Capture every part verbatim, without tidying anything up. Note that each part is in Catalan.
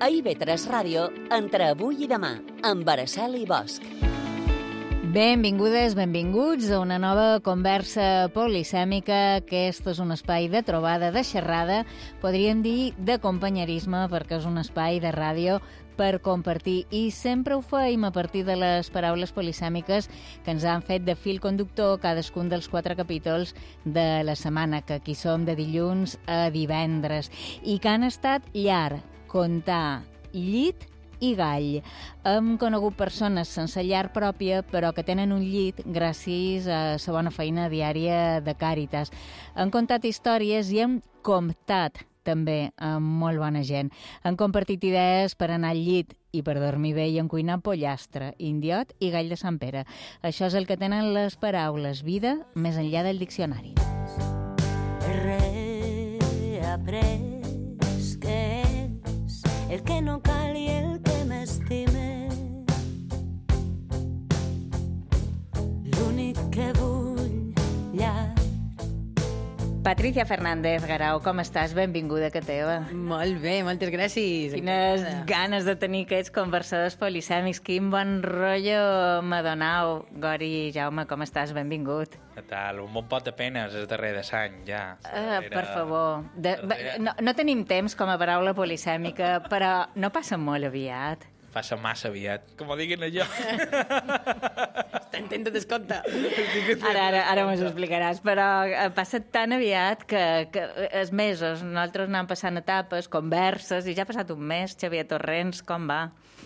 A I V tres Ràdio, entre avui i demà, amb Araceli Bosch. Benvingudes, benvinguts a una nova conversa polisèmica. Aquest és un espai de trobada, de xerrada, podríem dir de companyerisme, perquè és un espai de ràdio per compartir, i sempre ho feim a partir de les paraules polisèmiques que ens han fet de fil conductor cadascun dels quatre capítols de la setmana, que aquí som de dilluns a divendres, i que han estat llar, contar, llit i gall. Hem conegut persones sense llar pròpia, però que tenen un llit gràcies a la bona feina diària de Càritas. Han contat històries i hem comptat també amb molt bona gent. Han compartit idees per anar al llit i per dormir bé, i en cuinar pollastre, indiot i gall de Sant Pere. Això és el que tenen les paraules vida més enllà del diccionari. He après que és el que no cal i el que m'estime. L'únic que vull llar. Patricia Fernández Garau, com estàs? Benvinguda, que teva. Molt bé, moltes gràcies. Quines ganes de tenir aquests conversadors polisèmics. Quin bon rotllo m'ha donau. Gori, Jaume, com estàs? Benvingut. Què tal? Un bon pot de penes és darrer de sang, ja. Uh, per favor. De, no, no tenim temps com a paraula polisèmica, però no passa molt aviat. Passa massa aviat. Com ho diguin allò. Està intent de descompte. Ara, ara, ara m'ho explicaràs, però passa tan aviat que, que els mesos, nosaltres anem passant etapes, converses, i ja ha passat un mes. Xavier Torrents, com va?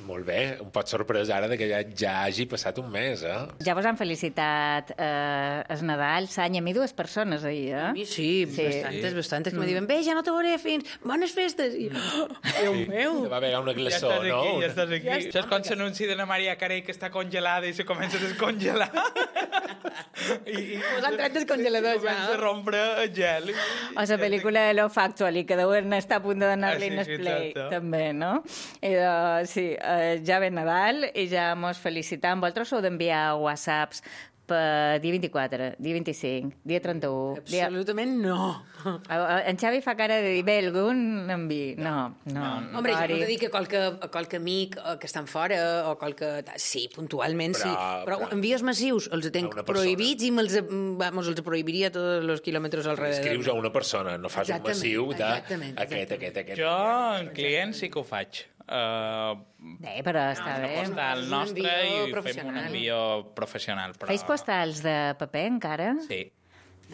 Molt bé, un pot sorprès ara de que ja, ja hagi passat un mes, eh? Ja vos han felicitat eh, el Nadal, l'any, a mi dues persones ahir, eh? A mi sí, sí. bastantes, bastantes, que me diuen, bé, ja no te veuré fins, bones festes. I, oh, Déu meu! Va haver una glaçó, ja estàs no? Aquí, ja estàs aquí. Ja està. Saps quan s'anunci de la Maria Carey que està congelada i se comença a descongelar? I, i Us han tret del congelador, ja. Comença a rompre el gel. O la pel·lícula de Lo Factual, i que deuen estar a punt de donar-li Ah, sí, en sí, play, exacte. també, no? I de, sí, eh, ja ve Nadal i ja mos felicitam. Vosaltres heu d'enviar whatsapps per dia vint-i-quatre, dia vint-i-cinc, dia trenta-u... Dia... Absolutament no. En Xavi fa cara de dir, bé, algun envi. No, no. No, no. Hombre, jo no t'he dit que qualque, qualque amic que estan fora o qualque... Sí, puntualment Però- sí. Però, però- envies massius els tenc A una persona. prohibits i me'ls, vamos, els prohibiria tots els quilòmetres alrededor. Escrius a una persona, no fas Exactament, un massiu de exactament, aquest, exactament. aquest, aquest. Jo, en client, sí que ho faig. Uh, Bé, però està bé. postal és un nostre envió i fem un professional. envió professional. Però... Feis postals de paper, encara? Sí.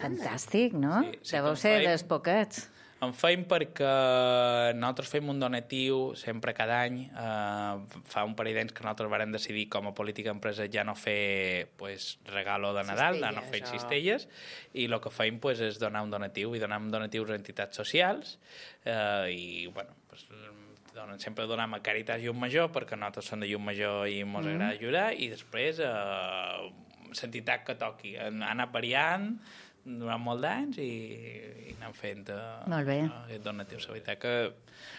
Fantàstic, no? Sí, sí Deveu que ser en feim. dels poquets. En feim perquè nosaltres fem un donatiu sempre cada any. Eh, fa un parell d'anys que nosaltres vam decidir com a política empresa ja no fer pues, regalo de Nadal, de no fer Cistelles, cistelles, i el que feim pues, és donar un donatiu, i donem donatius a entitats socials, eh, i bueno, pues, donen, sempre donem a Càritas Llum Major, perquè nosaltres som de Llum Major i ens mm. agrada ajudar, i després eh, l'entitat que toqui. Han anat variant durant molt d'anys i, i anem fent uh, Molt bé. uh, aquest donatiu. La veritat que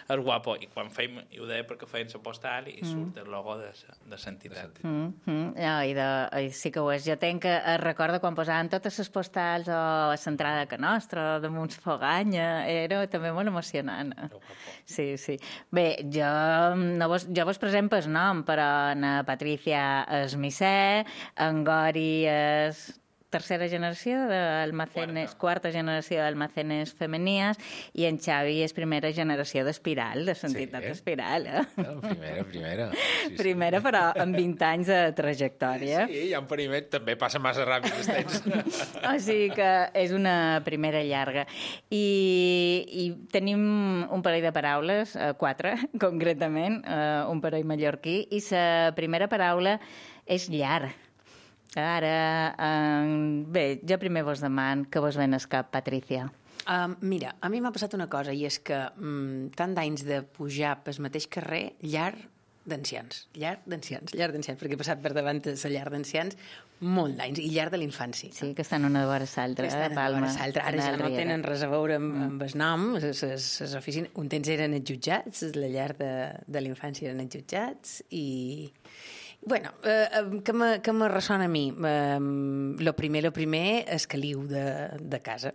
és guapo, i quan feim, i ho deia perquè feien la postal i mm. surt el logo de l'entitat. Mm, mm, no, i, de, i sí que ho és. Jo tenc que eh, recordo quan posaven totes les postals o a l'entrada que nostra, o damunt Foganya, era també molt emocionant. Sí, sí. Bé, jo, no vos, jo vos present pel nom, però en Patricia és Missé, en Gori és tercera generació d'almacenes, quarta. quarta generació d'almacenes femenies, i en Xavi és primera generació d'Espiral, de l'entitat Sí. Espiral. Eh? No, primera, primera. Sí, sí. Primera, però amb vint anys de trajectòria. Sí, ja un primer també passa massa ràpid els temps. O sigui que és una primera llarga. I, i tenim un parell de paraules, eh, quatre, concretament, eh, un parell mallorquí, i la primera paraula és llar. Ara, eh, bé, jo primer vos deman que vos ven al cap, Patricia. Um, mira, a mi m'ha passat una cosa, i és que um, tant d'anys de pujar pel mateix carrer, llar d'ancians, llar d'ancians, llar d'ancians, perquè he passat per davant de la llar d'ancians molt d'anys, i llar de l'infància. Sí, que estan una de vora l'altra, eh, Palma. Ara en ja el no Riera. tenen res a veure amb, amb el nom, les oficines, un temps eren els jutjats, la llar de, de l'infància eren els jutjats, i... Bueno, eh, que, me, que me ressona a mi? Eh, lo primer, lo primer és caliu de, de casa.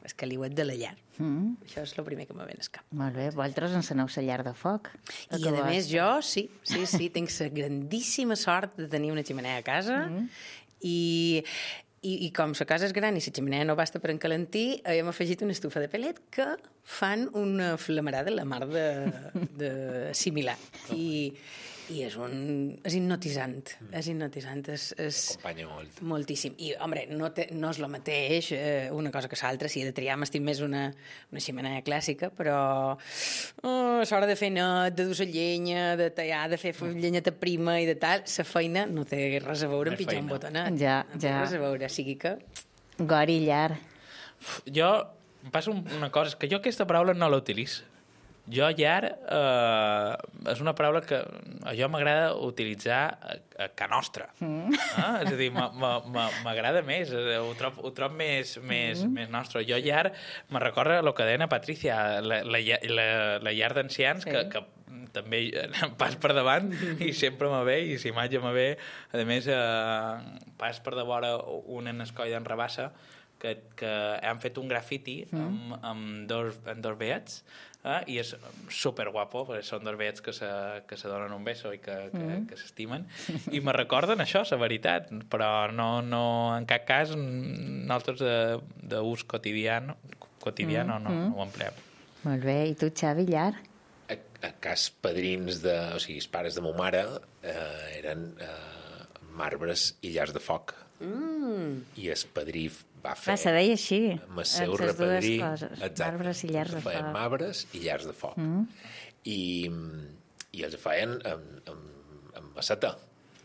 el caliuet de la llar. Mm. Això és el primer que me ve al cap. Molt bé, vosaltres enceneu la llar de foc. I, a més, jo, sí, sí, sí, tinc la grandíssima sort de tenir una ximenea a casa mm. i, i, i com la casa és gran i la ximenea no basta per encalentir, hem afegit una estufa de pellet que fan una flamarada la mar de, de similar. I, i és, un, és hipnotisant, mm. és hipnotisant, és, és Acompanya molt. Moltíssim. I, home, no, té, no és el mateix eh, una cosa que l'altra. Si he de triar, m'estim més una, una ximenea clàssica, però oh, a l'hora de fer net, de dur la llenya, de tallar, de fer llenyeta prima i de tal, la feina no té res a veure amb pitjar un botonet. Ja, no té ja. res a veure, sigui que... Gori, llar. Jo, em passa una cosa, és que jo aquesta paraula no la utilitzo. Jo, llar, eh, és una paraula que a jo m'agrada utilitzar a, a ca nostra. Mm. Eh? És a dir, m'agrada més, ho trob, ho trob més, més, mm. més nostre. Jo, llar, me recorda el que deia Patricia, la, la, la, la llar d'ancians, sí. que, que també pas per davant i sempre me ve, i la imatge me ve. A més, eh, pas per de vora un en escoll d'en Rabassa, que, que han fet un grafiti mm. amb, amb dos, amb dos veets, eh? I és superguapo, perquè són dos veets que se, que se donen un beso i que, que, mm. que s'estimen, i me recorden això, la veritat, però no, no, en cap cas nosaltres d'ús quotidià, quotidià mm. no, no, no ho empleem. Molt bé, i tu, Xavi, llar? A, a cas padrins, de, o sigui, els pares de ma mare eh, eren eh, marbres i llars de foc. Mm. I el padrí va fer... Va, se deia així. Amb el seu repadrí... Exacte. Marbres i llars de foc. Feien marbres i llars de foc. Mm. I, I els feien amb, amb, amb maceta.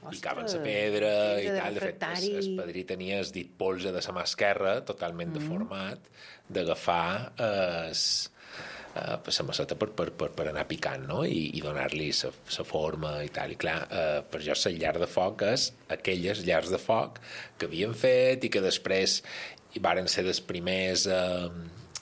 Picaven la pedra i tal. De fet, el, el padrí tenia el dit polze de la mà esquerra, totalment mm. deformat, d'agafar es, uh, la maceta per, per, per, per anar picant, no? I, i donar-li la forma i tal. I clar, uh, per jo la llar de foc és aquelles llars de foc que havien fet i que després hi varen ser dels primers a,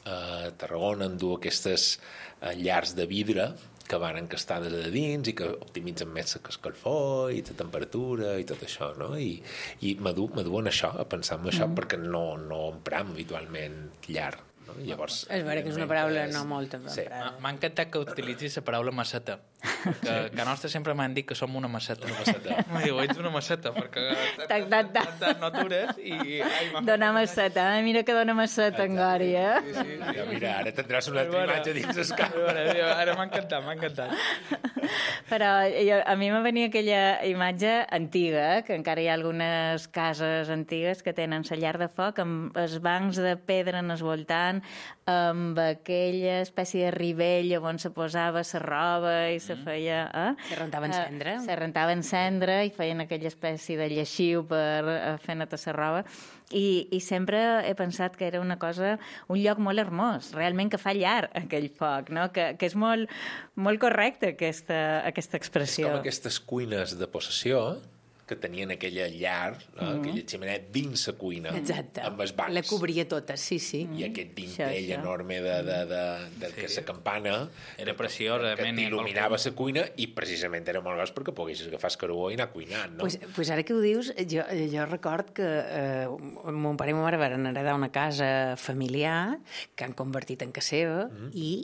a Tarragona en dur aquestes uh, llars de vidre que van encastar des de dins i que optimitzen més la escalfor i la temperatura i tot això, no? I, i m'aduen això, a pensar en això, mm. perquè no, no empram habitualment llar. No? Llavors, és vera que és una paraula és... no molt emprada. Sí. M'ha encantat que utilitzis la paraula maceta, que, que a nostre sempre m'han dit que som una maceta. Una maceta. M'ha dit, ets una maceta, perquè tac, tac, tac. no atures i... Ai, dona maceta, eh? Mira que dona maceta en Gori, eh? Sí, sí, sí. Ja, mira, ara tindràs una altra imatge dins el cap. Ara m'ha encantat, m'ha encantat. Però jo, a mi me venia aquella imatge antiga, que encara hi ha algunes cases antigues que tenen la llar de foc amb els bancs de pedra en el voltant, amb aquella espècie de ribell on se posava la roba i se feia... Eh? Se rentava en cendra. Uh, se rentava en cendra i feien aquella espècie de lleixiu per uh, fer netar la roba. I, I sempre he pensat que era una cosa, un lloc molt hermós, realment que fa llar aquell foc, no? que, que és molt, molt correcte aquesta, aquesta expressió. És com aquestes cuines de possessió que tenien aquella llar, no? mm. aquella ximenea dins la cuina. Exacte. Amb els bancs. La cobria tota, sí, sí. Mm. I aquest dintell enorme de, de, de, de sí. que la campana era preciós, que t'il·luminava la cuina i precisament era molt gros perquè poguessis agafar el carbó i anar cuinant, no? Pues, pues ara que ho dius, jo, jo record que eh, mon pare i ma mare van heredar una casa familiar que han convertit en casa seva mm. i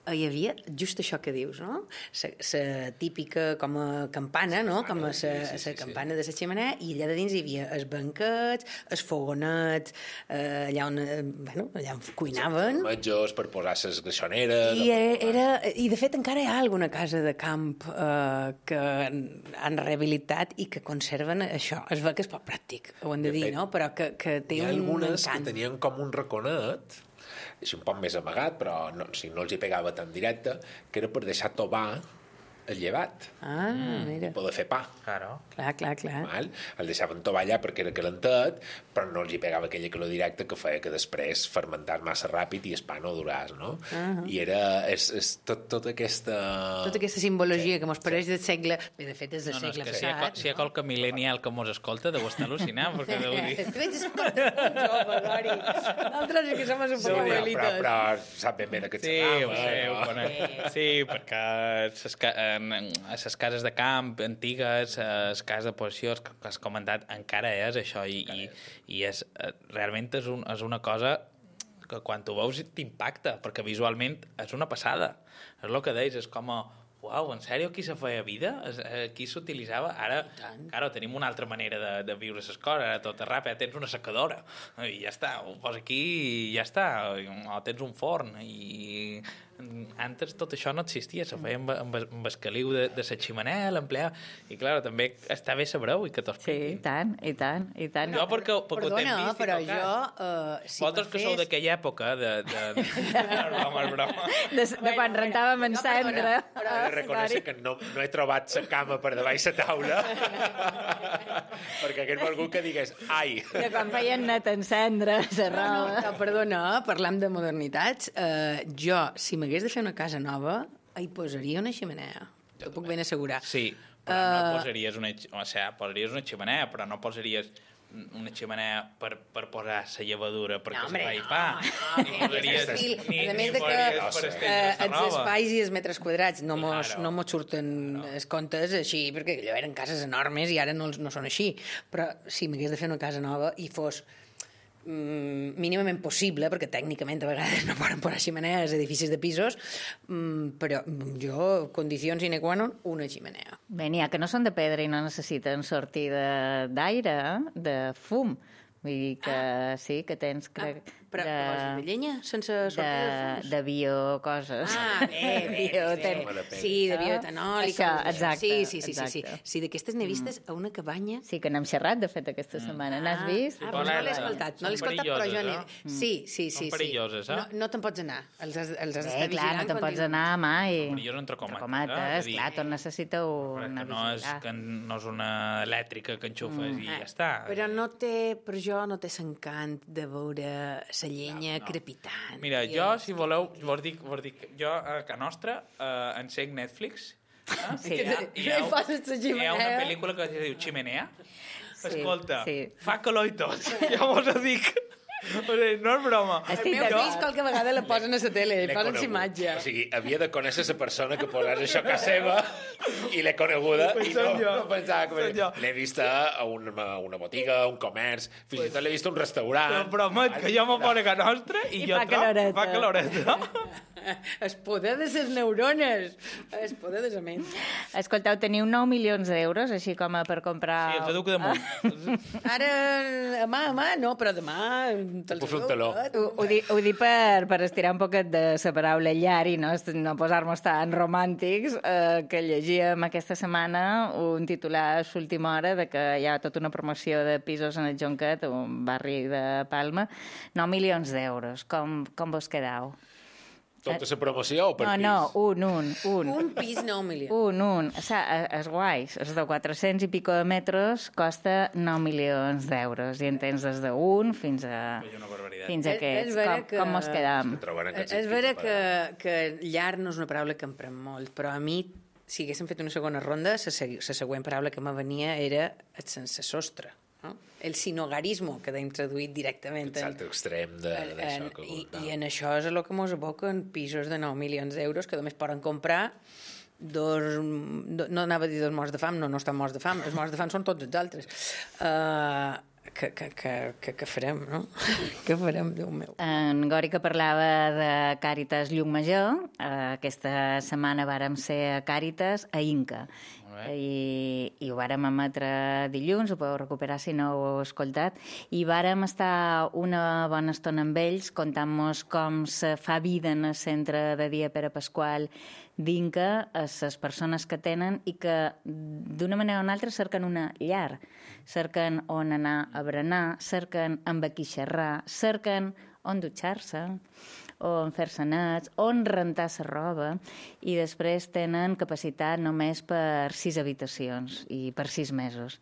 hi havia just això que dius, no? La típica com a campana, no? Com a la sí, sí, sí, campana sí. de la xemenea, i allà de dins hi havia els banquets, els fogonets, eh, allà on, eh, bueno, allà on cuinaven. Sí, metges per posar les greixoneres... I, era, I, de fet, encara hi ha alguna casa de camp eh, que han rehabilitat i que conserven això. Es veu que és poc pràctic, ho hem de, de dir, fet, no? Però que, que té un encant. Hi ha algunes que tenien com un raconet, així un poc més amagat, però no, si no els hi pegava tan directe, que era per deixar tovar el llevat. Ah, mm. mira. Poder fer pa. Claro. Clar, clar, clar. Val? El deixaven tovar allà perquè era calentat, però no els hi pegava aquella calor directa que feia que després fermentar massa ràpid i el pa no duràs, no? Uh -huh. I era... És, és tot, tota aquesta... Tota aquesta simbologia sí. que mos pareix sí. del segle... Bé, de fet, és del no, no, segle és passat. Si hi ha, si hi ha qualque millennial que mos escolta, deu estar al·lucinant, perquè deu dir... Tu ets un jove, Gori. Nosaltres que som un poc abuelitos. Però, però sap ben bé de què et sí, s'acaba. Ho sé, ho conec. Sí, perquè ses, a les cases de camp antigues, a les cases de possessió, que has comentat, encara és això, i, i, i és, realment és, un, és una cosa que quan ho veus t'impacta, perquè visualment és una passada. És el que deies, és com a, uau, en sèrio, aquí se feia vida? Aquí s'utilitzava? Ara, claro, tenim una altra manera de, de viure les coses, ara tot és ràpid, tens una secadora, i ja està, ho poses aquí i ja està, o tens un forn, i antes tot això no existia, se feia amb, amb, amb el caliu de, de la ximenea, l'empleava, i clar, també està bé sabreu i que t'ho expliquin. Sí, i tant, i tant, i tant. Jo perquè, perquè Perdona, ho vist però i jo... Uh, si vosaltres que fes... sou d'aquella època de... de, de... broma, broma. De, de quan rentàvem en cendra. He de reconèixer que no, no he trobat la cama per davall la taula perquè hagués volgut que digués ai. De quan feien net en cendra, la No, roba. no, perdona, parlam de modernitats. Uh, jo, si m'hagués de fer una casa nova, hi posaria una xemenea. T'ho puc ben assegurar. Sí, però uh... no posaries una, o sigui, posaries una ximenea, però no posaries una xemenea per, per posar la llevadura perquè No, es hombre, fa i no, pa. no, Ni no, posaries, estil, ni, a ni més de que posaries no per sé. estendre eh, la els roba. espais i els metres quadrats no mos, Claro. no mos surten els comptes així, perquè allò eren cases enormes i ara no, els- no són així. Però si m'hagués de fer una casa nova i fos mm, mínimament possible, perquè tècnicament a vegades no poden posar ximenees a edificis de pisos, mm, però jo, condicions sine qua non, una ximenea. Bé, n'hi ha que no són de pedra i no necessiten sortir de- d'aire, de fum. Vull dir que ah. sí, que tens... Crec, Ah, però de... què vols dir, de llenya? Sense sortir de, de, fums? de bio coses. Ah, bé, bé, Bioten- bé, de bé. pedra. Sí, de bioetanol. i Això, coses d'això. exacte, Sí, sí, sí, sí, sí. exacte. Sí, d'aquestes n'he vistes a una cabanya. Sí, que n'hem xerrat, de fet, aquesta setmana. N'has vist? Ah, Però doncs no l'he ara- escoltat, no l'he són escoltat, però jo n'he... perilloses, eh? Sí, sí, sí. Són sí. perilloses, eh? No, no te'n pots anar. Els has, els has Bé, d'estar clar, no vigilant te'n pots contínuament. anar mai. Perillós entre comates, eh? comates, Vull dir- clar, tot necessita Però una que no és, vigilar. que no és una elèctrica que enxufes i Eh, ja està. Però no té, per jo no té l'encant de veure la llenya no, no. crepitant. Mira, I jo, el- si voleu, vos dic, vos dic jo a casa nostra eh, encenc Netflix. Eh? Sí. I hi ha, hi ha, I poses la hi ha una xemeneia. pel·lícula que es diu Chimenea. Sí, Escolta, sí. fa calor i tot. Ja vos ho dic. O sigui, no és broma. El Estic meu d'acord. fill qualque vegada la posen a la tele, L'he posen conegut. imatge. O sigui, havia de conèixer la persona que posàs això a casa seva i l'he coneguda Pues i no, soy yo. no pensava que... Soy yo. L'he vista a una, a una botiga, a un comerç, fins i tot l'he vist a un restaurant. Però promet que jo m'ho poso a casa nostra i, I jo fa trobo... caloreta. Fa caloreta. El poder de les neurones, el poder de la ment. Escolteu, teniu nou milions d'euros, així com a per comprar... Sí, els educo damunt. Ara, demà, demà, no, però demà... te'ls Puc fer un dono taló. tot. Ho, ho, dic, ho dic per, per estirar un poquet de la paraula llar i no, no posar-nos tan romàntics, eh, que llegíem aquesta setmana un titular a l'última hora de que hi ha tota una promoció de pisos en el Jonquet, un barri de Palma, nou milions d'euros. Com, com vos quedau? Tota la promoció o per No, pis? no, un, un, un. Un pis, nou milions. Un, un. O sigui, és guais. Els de quatre-cents i pico de metres costa nou milions d'euros. I en tens des d'un fins a... És una barbaritat. Fins a És- és aquests. vera Com, que- com mos quedam? Que troben És, aquests és vera equips que, separats. que llar no és una paraula que emprem molt, però a mi, si haguéssim fet una segona ronda, la segü- la següent paraula que me venia era el sense sostre. No? El sinogarismo, que hem traduït directament. Aquest salt extrem de- en- d'això en- que i, comentava. I en això és el que mos aboquen pisos de nou milions d'euros que només poden comprar dos... Do, no anava a dir dos morts de fam, no, no estan morts de fam, els morts de fam són tots els altres. Uh, que, que, que, que, que farem, no? Què farem, Déu meu? En Gori, que parlava de Càritas Llucmajor, eh, aquesta setmana vàrem ser a Càritas a Inca. Molt bé. I, i ho vàrem emetre dilluns, ho podeu recuperar si no ho heu escoltat, i vàrem estar una bona estona amb ells contant-nos com se fa vida en el centre de dia Pere Pasqual d'Inca, a les persones que tenen i que d'una manera o una altra cerquen una llar, cerquen on anar a berenar, cerquen amb qui xerrar, cerquen on dutxar-se, on fer-se nets, on rentar la roba, i després tenen capacitat només per sis habitacions i per sis mesos.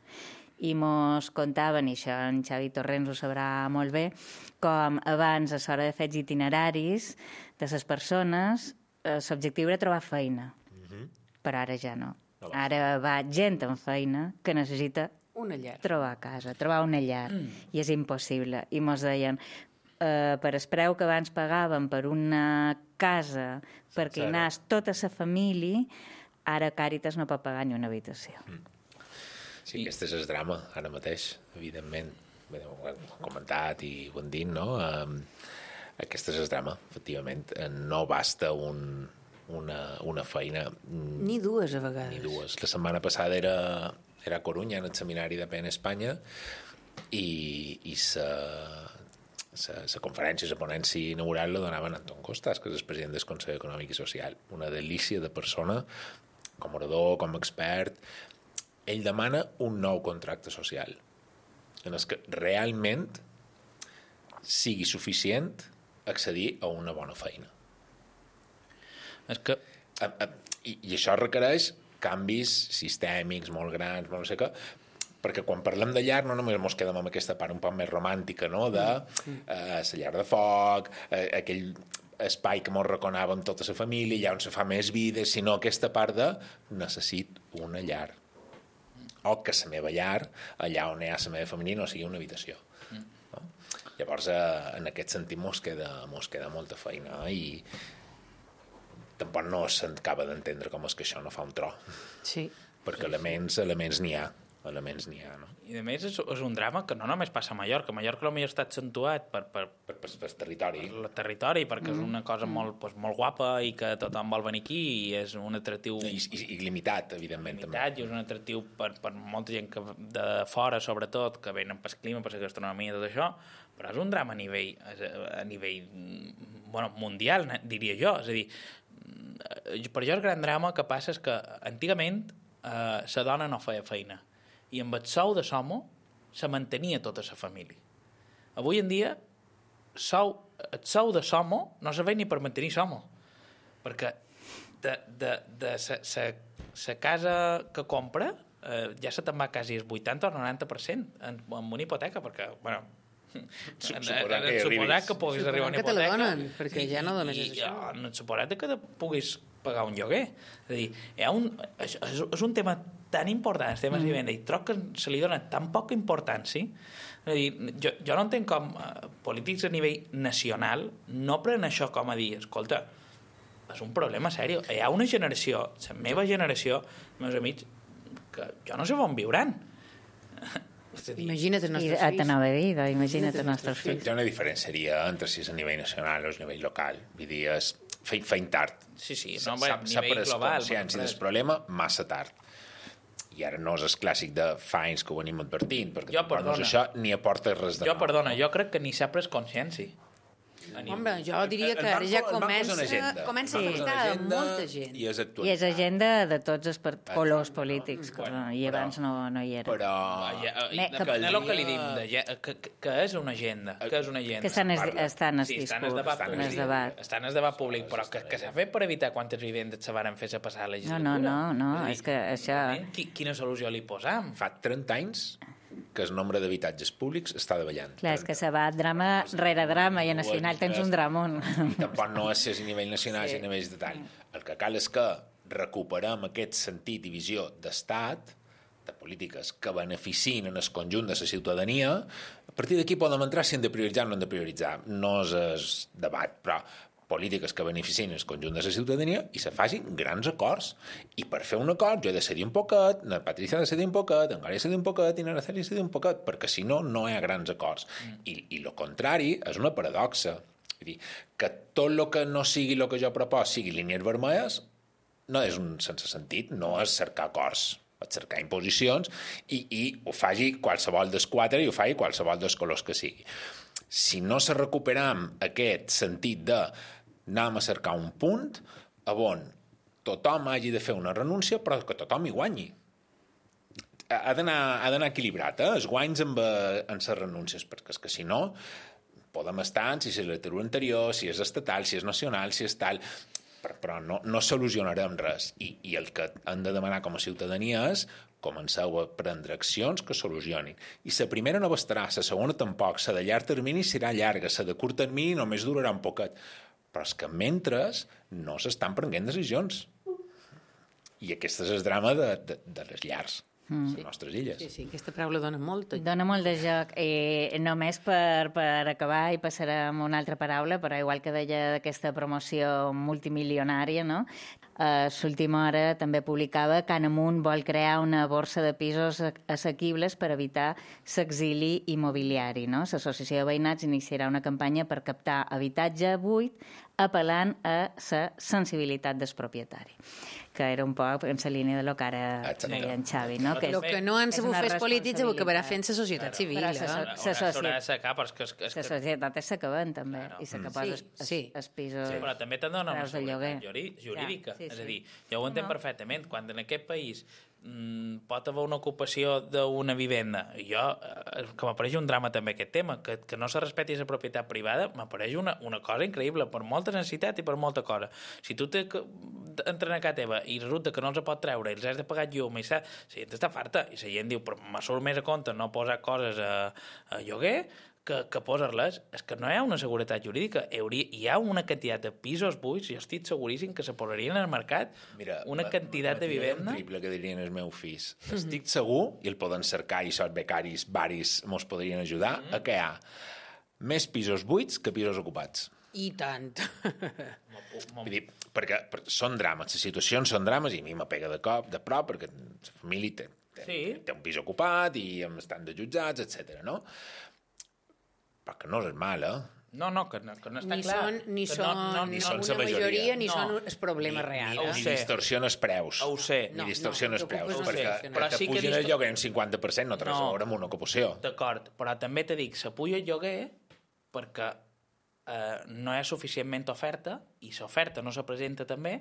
I mos contaven, i això en Xavi Torrents ho sabrà molt bé, com abans, a l'hora de fer els itineraris de les persones, eh, l'objectiu era trobar feina, però ara ja no. Ara va gent amb feina que necessita Una llar. trobar casa, trobar una llar, i és impossible. I mos deien, eh, per el preu que abans pagàvem per una casa perquè hi anàs tota la família, ara Càritas no pot pagar ni una habitació. Sí, aquest és el drama, ara mateix, evidentment. Bé, ho hem comentat i ho hem dit, no? Um, aquest és el drama, efectivament. No basta un, una, una feina... Ni dues, a vegades. Ni dues. La setmana passada era, era a Corunya, en el seminari de P N Espanya, i, i sa, sa, sa conferència, la ponència inaugural la donaven Anton Costas, que és el president del Consell Econòmic i Social. Una delícia de persona, com orador, com expert. Ell demana un nou contracte social, en el que realment sigui suficient accedir a una bona feina. És que... I, i això requereix canvis sistèmics molt grans, no sé què, perquè quan parlem de llar no només ens quedem amb aquesta part un poc més romàntica, no?, de eh, la llar de foc, eh, aquell espai que ens reconava amb tota la família, allà on se fa més vida, sinó aquesta part de necessito una llar. O que la meva llar, allà on hi ha la meva família, no sigui una habitació. Mm. No? Llavors, eh, en aquest sentit, mos queda, mos queda molta feina, eh? I tampoc no s'acaba d'entendre com és que això no fa un tro. Sí. Perquè elements, elements n'hi ha. Elements n'hi ha, no? I a més és, és un drama que no només passa a Mallorca. A Mallorca potser està accentuat per, per, per, per, per territori. Per el territori, perquè mm. és una cosa molt, doncs, molt guapa i que tothom vol venir aquí i és un atractiu... I, i, i limitat, evidentment. Limitat, també. I és un atractiu per, per molta gent que de fora, sobretot, que venen pel clima, per la gastronomia i tot això, però és un drama a nivell, a nivell bueno, mundial, diria jo. És a dir, per jo el gran drama que passa és que antigament eh, la dona no feia feina i amb el sou de l'home se mantenia tota la família. Avui en dia sou, el sou de l'home no serveix ni per mantenir l'home, perquè de, de, de la casa que compra eh, ja se te'n va quasi el vuitanta o el noranta per cent en, en una hipoteca, perquè, bueno, suposat que, suposat que puguis arribar a una hipoteca, que te la donen, perquè ja no només és això. I, i suposat que puguis pagar un lloguer. És a dir, hi ha un, és, és un tema tan important, els temes mm. de vivenda, i troc que se li dona tan poca importància. És a dir, jo, jo no entenc com eh, polítics a nivell nacional no prenen això com a dir, escolta, és un problema seriós. Hi ha una generació, la meva generació, els meus amics, que jo no sé on viuran. Imagina't els nostres fills. I t'anava a dir, imagina't els nostres fills. Hi ha una diferència entre si és a nivell nacional o a nivell local. Vull dir, és feint, feint tard. Sí, sí, no, s'ha pres consciència del problema massa tard. I ara no és el clàssic de fa anys que ho venim advertint, perquè jo, perdona, no és això ni aporta res de jo, nou. Perdona, jo crec que ni s'ha pres consciència. Home, jo diria que ara ja comença, comença a afectar a molta gent. I és, I és agenda de tots els colors polítics, que, bueno, i abans però, no, no hi era. Però... Ne, que, que, el que li dim, de, que, que és una agenda, que és una agenda. Que estan, es, estan en sí, discurs, estan en debat, estan en debat. Estan en debat públic, però que, que s'ha fet per evitar quantes vivendes se van fer a passar la legislatura. No, no, no, no és, és que això... Quina solució li posam? Fa trenta anys que el nombre d'habitatges públics està davallant. Clar, és que se va drama rere drama i a nacional tens un dramón. I tampoc no és si a nivell nacional, sí. Si a nivell de tal. El que cal és que recuperem aquest sentit i visió d'estat, de polítiques que beneficien en el conjunt de la ciutadania. A partir d'aquí podem entrar si hem de prioritzar o no hem de prioritzar. No és el debat, però polítiques que beneficien el conjunt de la ciutadania i se facin grans acords. I per fer un acord jo he de cedir un poquet, la Patricia ha de cedir un poquet, en Gary ha de cedir un poquet i l'Araceli ha de cedir un poquet, perquè si no, no hi ha grans acords. Mm. I, i el contrari és una paradoxa. Vull dir, que tot el que no sigui el que jo propos sigui línies vermelles no és un sense sentit, no és cercar acords, és cercar imposicions i, i ho faci qualsevol dels quatre i ho faci qualsevol dels colors que sigui. Si no se recuperam aquest sentit de anem a cercar un punt on tothom hagi de fer una renúncia però que tothom hi guanyi. Ha d'anar equilibrat, eh? Els guanys amb, amb les renúncies, perquè és que si no podem estar en si és l'heterodoxia anterior, si és estatal, si és nacional, si és tal, però no, no solucionarem res. I, I el que hem de demanar com a ciutadania és comenceu a prendre accions que solucionin. I la primera no bastarà, la segona tampoc, la de llarg termini serà llarga, la de curt termini només durarà un poquet. Però és que mentre no s'estan prenent decisions. I aquest és el drama de, de, de les llars. mm. les nostres illes. Sí, sí, aquesta paraula dona molt. Dona molt de joc. I només per, per acabar, i passarem a una altra paraula, però igual que deia d'aquesta promoció multimilionària, no? A l'última hora també publicava que Anamunt vol crear una borsa de pisos assequibles per evitar l'exili immobiliari. No? L'Associació de Veïnats iniciarà una campanya per captar habitatge buit apel·lant a la sensibilitat del propietari, que era un poc en la línia de lo que ara deia en Xavi. No? Que el que no han sabut fer els polítics ho acabarà fent la societat civil. Però eh? la societat és s'acaben també, i s'acaben els pisos. Sí, però també t'han donat una seguretat jurídica. Sí, sí. És a dir, jo ho entenc no. perfectament. Quan en aquest país mm, pot haver una ocupació d'una vivenda, i jo, eh, que m'apareix un drama també aquest tema, que, que no se respecti la propietat privada, m'apareix una, una cosa increïble, per molta necessitat i per molta cosa. Si tu te entren a casa teva i resulta que no els pot treure i els has de pagar llum, i la gent està farta, i la gent diu, però me surt més a compte no posar coses a, a lloguer, que, que posar-les, és que no hi ha una seguretat jurídica. Hauria, hi ha una quantitat de pisos buits, jo estic seguríssim que se posarien al mercat. Mira, una quantitat de vivenda. Un triple que dirien els meus fills. Mm-hmm. Estic segur, i el poden cercar, i sots becaris, varis, mos podrien ajudar, mm-hmm. a que hi ha més pisos buits que pisos ocupats. I tant. Vull dir, perquè, perquè són drames, les situacions són drames, i a mi m'apega de cop, de prop, perquè la família té, té, sí. té un pis ocupat i estan de jutjats, etcètera, no? Però que no és mal, eh? No, no, que no, que no està ni clar. Són, ni que són, no, no, ni no, són una majoria, majoria ni no. són el problema ni, real. Ni, Eh? ni distorsiona els preus. Ho sé. Ni distorsiona els preus, no perquè, sé. perquè sí pugen el lloguer un cinquanta per cent no té res a veure amb una ocupació. D'acord, però també te dic, se puja el lloguer perquè eh, no hi ha suficientment oferta, i l'oferta no se presenta també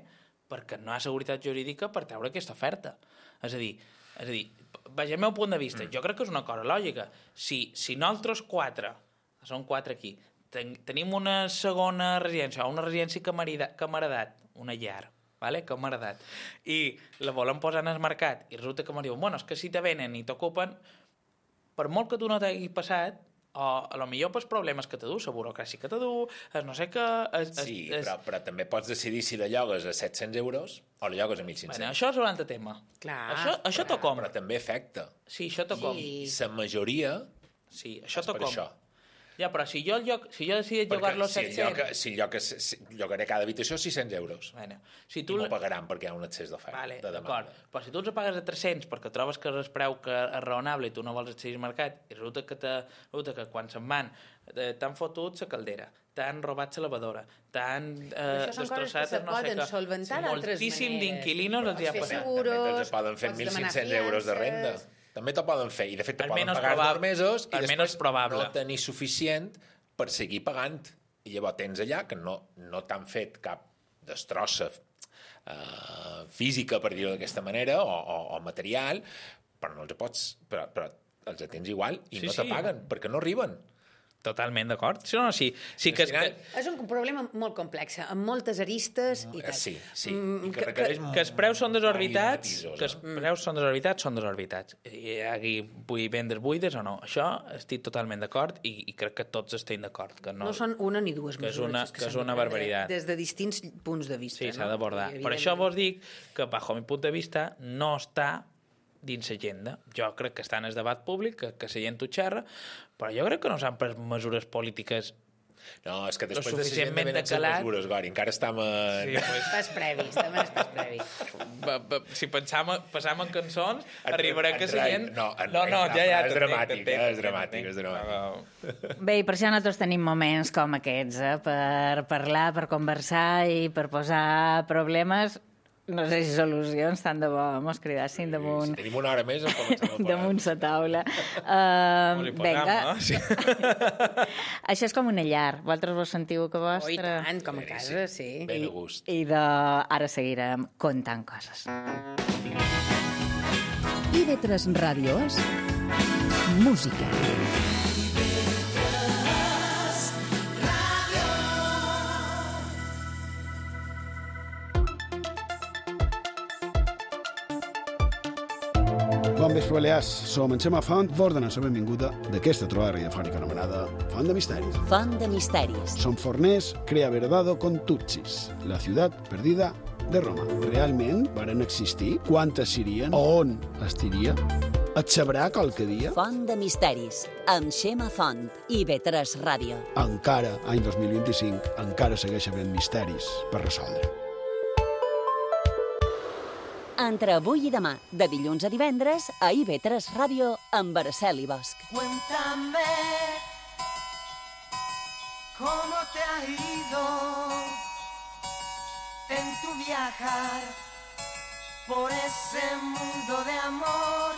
perquè no hi ha seguretat jurídica per treure aquesta oferta. És a dir, és a dir, vaja, el meu punt de vista, mm. jo crec que és una cosa lògica. Si, si nosaltres quatre, són quatre aquí, ten, tenim una segona residència, una residència camaradat, una llar, vale? camaradat, i la volem posar en el mercat, i resulta que me diuen, bueno, és que si te venen i t'ocupen, per molt que tu no t'hagi passat, o a lo millor pels problemes que te du, la burocràcia que te du, es no sé què... Es, sí, es, però, però també pots decidir si la llogues a set-cents euros o la llogues a mil cinc-cents. Bueno, això és un altre tema. Clar, això això t'ho com. Però també afecta. Sí, això t'ho com. I la majoria sí, això és per com. això. Ja, però si jo, lloc, si jo decidit llogar-lo a set-cents... Si lloc, si lloc, si llogaré cada habitació sis-cents euros. Bueno, si tu I m'ho pagaran perquè hi ha un excés d'oferta. Vale, de d'acord. Però si tu els pagues a tres-cents perquè trobes que és preu que és raonable i tu no vols accedir al mercat, i resulta que, te, resulta que quan se'n van eh, t'han fotut la caldera, t'han robat la lavadora, t'han eh, destrossat no sé què... Moltíssim d'inquilinos els hi ha passat. També te'ls poden fer mil cinc-cents euros de renda. També t'ho poden fer, i de fet te poden pagar dos mesos i després no tenir suficient per seguir pagant. I llavors tens allà que no, no t'han fet cap destrossa uh, física, per dir-ho d'aquesta manera, o, o, o material, però no els pots, però, però els tens igual i sí, no te sí. paguen, perquè no arriben. Totalment d'acord. Sí, no, sí, sí que, final... que... És un problema molt complex, amb moltes aristes i tal. Sí, sí. Mm, que, que, que els preus són desorbitats, que els preus són desorbitats, són desorbitats. I aquí vull vendre buides o no. Això estic totalment d'acord i, i crec que tots estem d'acord. Que no, no són una ni dues que mesures. És una, que, que és una barbaritat. Des de distints punts de vista. Sí, s'ha no? d'abordar. Per això vos dic que, bajo mi punt de vista, no està dins l'agenda. Jo crec que està en el debat públic, que, que la gent ho xerra, però jo crec que no s'han pres mesures polítiques. No, és que després de la gent venen les mesures, Gori, encara estem a... Sí, pues... Pas previs, també és pas previs. Ba, ba, si pensam, passam en cançons, en arribarà que la gent... No, en no, no, ja, ja, és dramàtic, és dramàtic, és dramàtic. Bé, i per això nosaltres tenim moments com aquests, eh? Per parlar, per conversar i per posar problemes... No sé si solucions, tant de bo, mos cridassin sí, damunt... Si tenim una hora més, em comencem a parar. Damunt la taula. Uh, vinga. No? Sí. Això és com una llar. Vosaltres vos sentiu que vostra... Oh, i tant, com a casa, sí. Ben a gust. I, i de... ara seguirem contant coses. I de tres ràdios, música. Bon vespre, Balears. Som en Xema Font, vos donem la benvinguda d'aquesta trobada radiofònica anomenada Font de Misteris. Font de Misteris. Som forners, crea verdado con tutsis. La ciutat perdida de Roma realment varen existir? Quantes serien? On estiria? Et sabrà qualque dia? Font de misteris, amb Xema Font i B tres Ràdio. Encara, any dos mil vint-i-cinc, encara segueix havent misteris per resoldre. Entre avui i demà, de dilluns a divendres, a I V tres Ràdio, amb Araceli Bosch. Cuéntame cómo te ha ido en tu viajar por ese mundo de amor.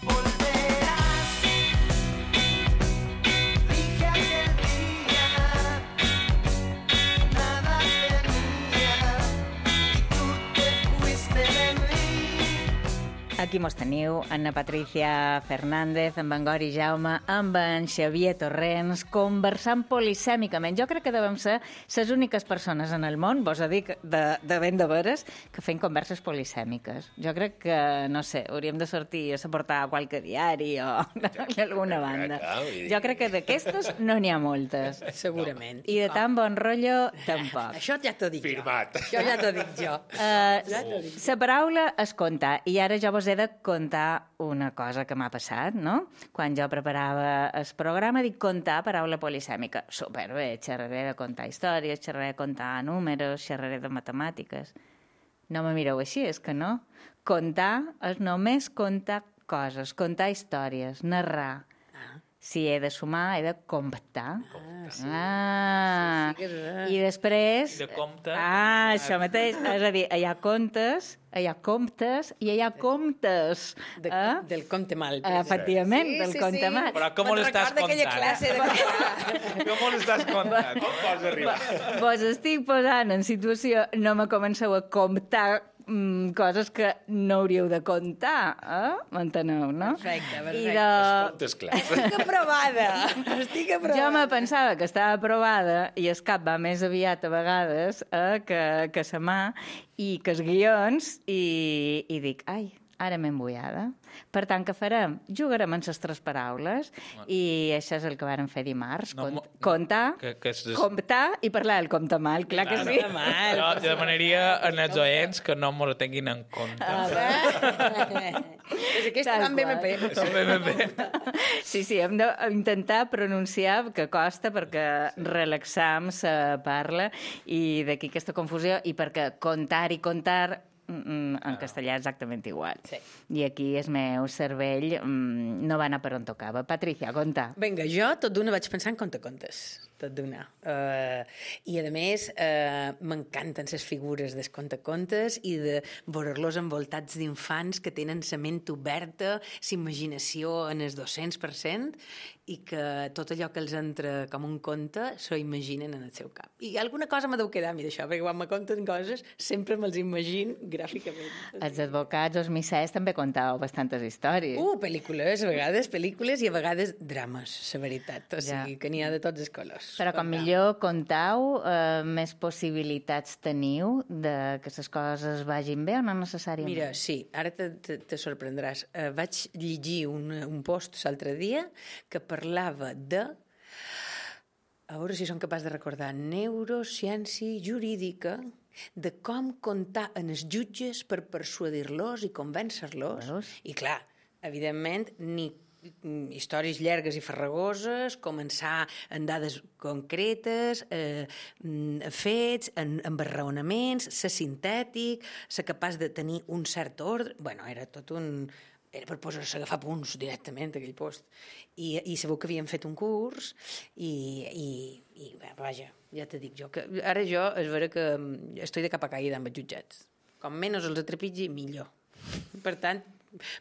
Volverás, dije aquel día, nada tenía y tú te fuiste de mí. Aquí mos teniu, Anna Patricia Fernández, amb en Gori Jaume, amb en Xavier Torrents, conversant polisèmicament. Jo crec que devem ser les úniques persones en el món, vos ho dic de, de ben de veres, que fem converses polisèmiques. Jo crec que, no sé, hauríem de sortir a portar a qualque diari o d'alguna banda. Jo crec que d'aquestes no n'hi ha moltes. Segurament. I de tan bon rotllo, tampoc. Això ja t'ho dic Firmat. jo. Això ja t'ho dic jo. Uh, la paraula és contar, i ara jo vos he de contar una cosa que m'ha passat, no? Quan jo preparava el programa, dic contar paraula polisèmica. Superbé, xerraré de contar històries, xerraré de contar números, xerraré de matemàtiques. No me mireu així, és que no. Contar és només contar coses, contar històries, narrar. Si he de sumar, he de comptar. Ah, sí. Ah, sí, sí que és... i després... De compte. Ah, això mateix. És a dir, hi ha contes, hi ha comptes i hi ha comptes. De, eh? Del compte mal. Efectivament, del compte mal. Però com ho estàs Recorda aquella contant? classe de... Com ho estàs contant? Com pots arribar? Vos estic posant en situació, no me comenceu a comptar mm, coses que no hauríeu de comptar, eh? M'enteneu, no? Perfecte, perfecte. I de... Comptes clars. Estic aprovada. Estic aprovada. Jo me pensava que estava aprovada i el cap va més aviat a vegades eh, que, que sa mà i que els guions i, i dic, ai, ara m'he embullada. Per tant, què farem? Jugarem amb les tres paraules i això és el que vàrem fer dimarts. No, Cont mo- comptar, Que, que és... comptar i parlar del compte mal, clar que sí. Jo, jo demanaria als oients que no m'ho tinguin en compte. És aquesta Tal va amb B M P. Són bé, bé, bé. Sí, sí, hem d'intentar pronunciar, que costa, perquè relaxam se parla, i d'aquí aquesta confusió, i perquè contar i contar mm, en castellà exactament igual. Sí. I aquí el meu cervell mm, no va anar per on tocava. Patricia, conta. Vinga, jo tot d'una vaig pensar en contacontes, tot d'una. Uh, I, a més, uh, m'encanten les figures dels contacontes i de veure-los envoltats d'infants que tenen la ment oberta, la imaginació en el dos-cents per cent, i que tot allò que els entra com un conte s'ho imaginen en el seu cap. I alguna cosa m'ha deu quedar a mi d'això, perquè quan me conten coses sempre me'ls imagino gràficament. Els advocats o els missers també contau bastantes històries. Uh, pel·lícules, a vegades pel·lícules i a vegades drames, la veritat. O Ja. sigui, que n'hi ha de tots els colors. Però com millor contau, eh, més possibilitats teniu de que les coses vagin bé o no necessàriament? Mira, sí, ara te, te, te sorprendràs. Uh, vaig llegir un, un post l'altre dia que parlava de, a veure si som capaç de recordar, neurociència jurídica, de com comptar en els jutges per persuadir-los i convèncer-los. Veus? I clar, evidentment, ni mm, històries llargues i farragoses, començar en dades concretes, eh, mm, fets, en, en raonaments, ser sintètic, ser capaç de tenir un cert ordre... Bueno, era tot un... Era per posar-se a agafar punts directament, aquell post. I, i sabeu que havíem fet un curs i, i, i bé, vaja, ja te dic jo, que ara jo és vera que estic de capa caïda amb els jutjats. Com menys els atrepitgi, millor. Per tant,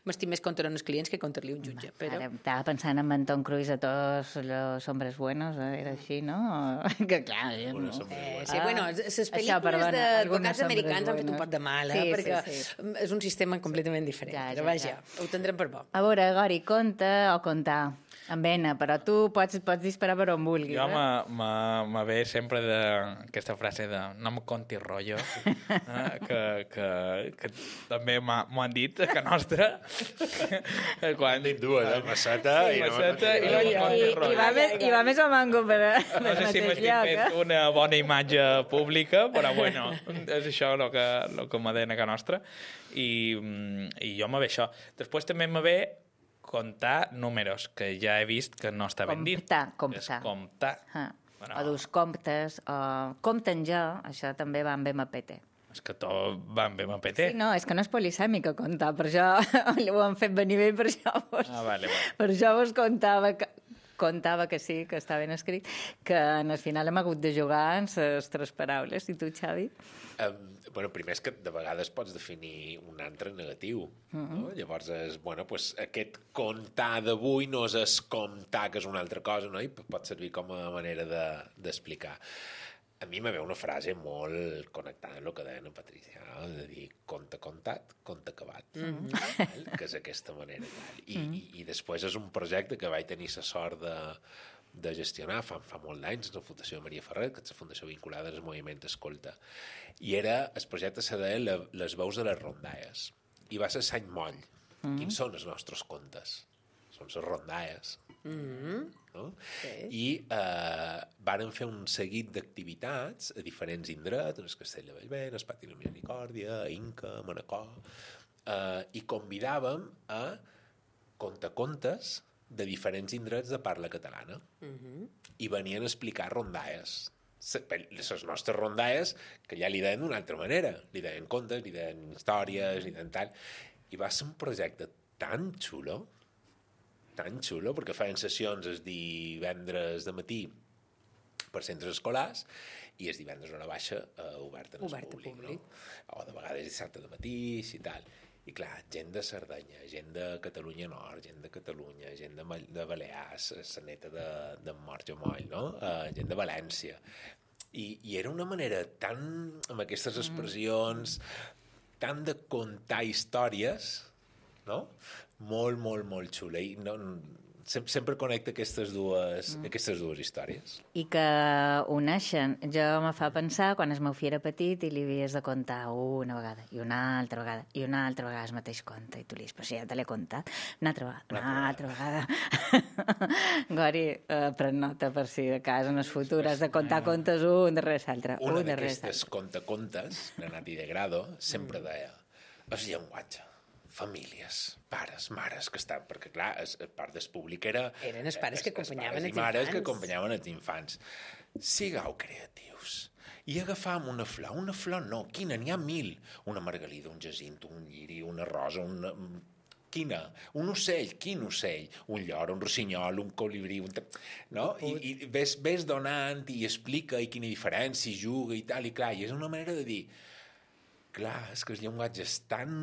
m'estic més contra els clients que contra-li un jutge. Però... Ara estava pensant en en Tom Cruise a tots los hombres buenos, eh? Era així, no? Que clar... Eh, Una no. sombra Eh, buena. sí, bueno, les Això, pel·lícules perdona, d'advocats algunes americans sombres han fet un buenas. pot de mal, eh? Sí, sí, perquè sí. és un sistema completament diferent. Ja, Però ja, vaja, ja. ho tindrem per bo. A veure, Gori, conta o contar? Amb vena, però tu pots, pots disparar per on vulguis. Jo eh? me, me, me ve sempre de, aquesta frase de no me conti rotllo, eh, que, que, que també m'ha- m'ho han dit a que nostra, Quan... Dic dues, eh? Masseta sí, i... Masseta no, i, no, I, i, i, va més, I va més o manco per, per no sé si m'estic fent una bona imatge pública, però bueno, és això el que, el que m'ha de a casa nostra. I, i jo me ve això. Després també me ve comptar números, que ja he vist que no està ben dit. Comptar, comptar. És comptar. Ah. Bueno. O dus comptes, o compten jo, això també va amb M P T. És que tot va amb M P T. Sí, no, és que no és polisèmica comptar, per això ho han fet venir bé, per això vos, Ah, vale, vale. per això vos contava que, contava que sí, que està ben escrit, que en el final hem hagut de jugar en les tres paraules. I tu, Xavi? Um, bueno, primer és que de vegades pots definir un altre negatiu. Mm-hmm. No? Llavors, és, bueno, pues, aquest comptar d'avui no és es comptar, que és una altra cosa, no? I pot servir com a manera d'explicar. A mi me ve una frase molt connectada amb el que deia la Patricia, no? De dir compte comptat, compte acabat, mm-hmm. que és aquesta manera. I, mm-hmm. i, I després és un projecte que vaig tenir la sort de, de gestionar fa, fa molt d'anys, la Fundació Maria Ferrer, que és la fundació vinculada al moviment Escolta. I era, el projecte se deia Les veus de les rondalles. I va ser Sant Moll. Mm-hmm. Quins són els nostres contes? Són les rondalles. Mm-hmm. No? Sí. I eh, varen fer un seguit d'activitats a diferents indrets, el Castell de Bellver, el Pati de la Misericòrdia, a Inca, a Manacor, eh, i convidàvem a contacontes de diferents indrets de parla catalana. Mm-hmm. I venien a explicar rondalles. Les nostres rondalles, que ja li deien d'una altra manera. Li deien contes, li deien històries, li deien tal. I va ser un projecte tan xulo, tan xulo, perquè feien sessions els divendres de matí per centres escolars i els divendres a hora baixa eh, oberta al públic, públic. No? O de vegades dissabte de matí i tal. I clar, gent de Cerdanya, gent de Catalunya Nord, gent de Catalunya, gent de, de Balears, la neta de, de Morja Moll, no? Uh, gent de València. I, I era una manera tan, amb aquestes expressions, tan de contar històries, no? Molt, molt, molt xula. I no, sempre, sempre connecta aquestes dues, mm. aquestes dues històries. I que uneixen. Jo me fa pensar, quan el meu fill era petit i li havies de contar una vegada, i una altra vegada, i una altra vegada el mateix conte, i tu li dius, però si ja te l'he contat, una altra vegada, una, una altra vegada. Gori, eh, pren nota per si de cas en el futur has de contar contes un darrere l'altre. Una d'aquestes contacontes, Renati de Grado, sempre deia, el llenguatge, famílies, pares, mares, que estan... Perquè, clar, es, part del públic era... Eren els pares que acompanyaven els infants. I mares que acompanyaven els infants. Sigueu creatius. I agafàvem una flor. Una flor no, quina? N'hi ha mil. Una margalida, un jacint, un lliri, una rosa, una... Quina? Un ocell. Quin ocell? Un llor, un rossinyol, un colibrí... Un... No? I, i ves, ves donant i explica i quina diferència, i juga i tal, i clar, i és una manera de dir... Clar, és que el llenguatge és tan...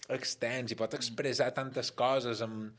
extens i pot expressar tantes coses amb,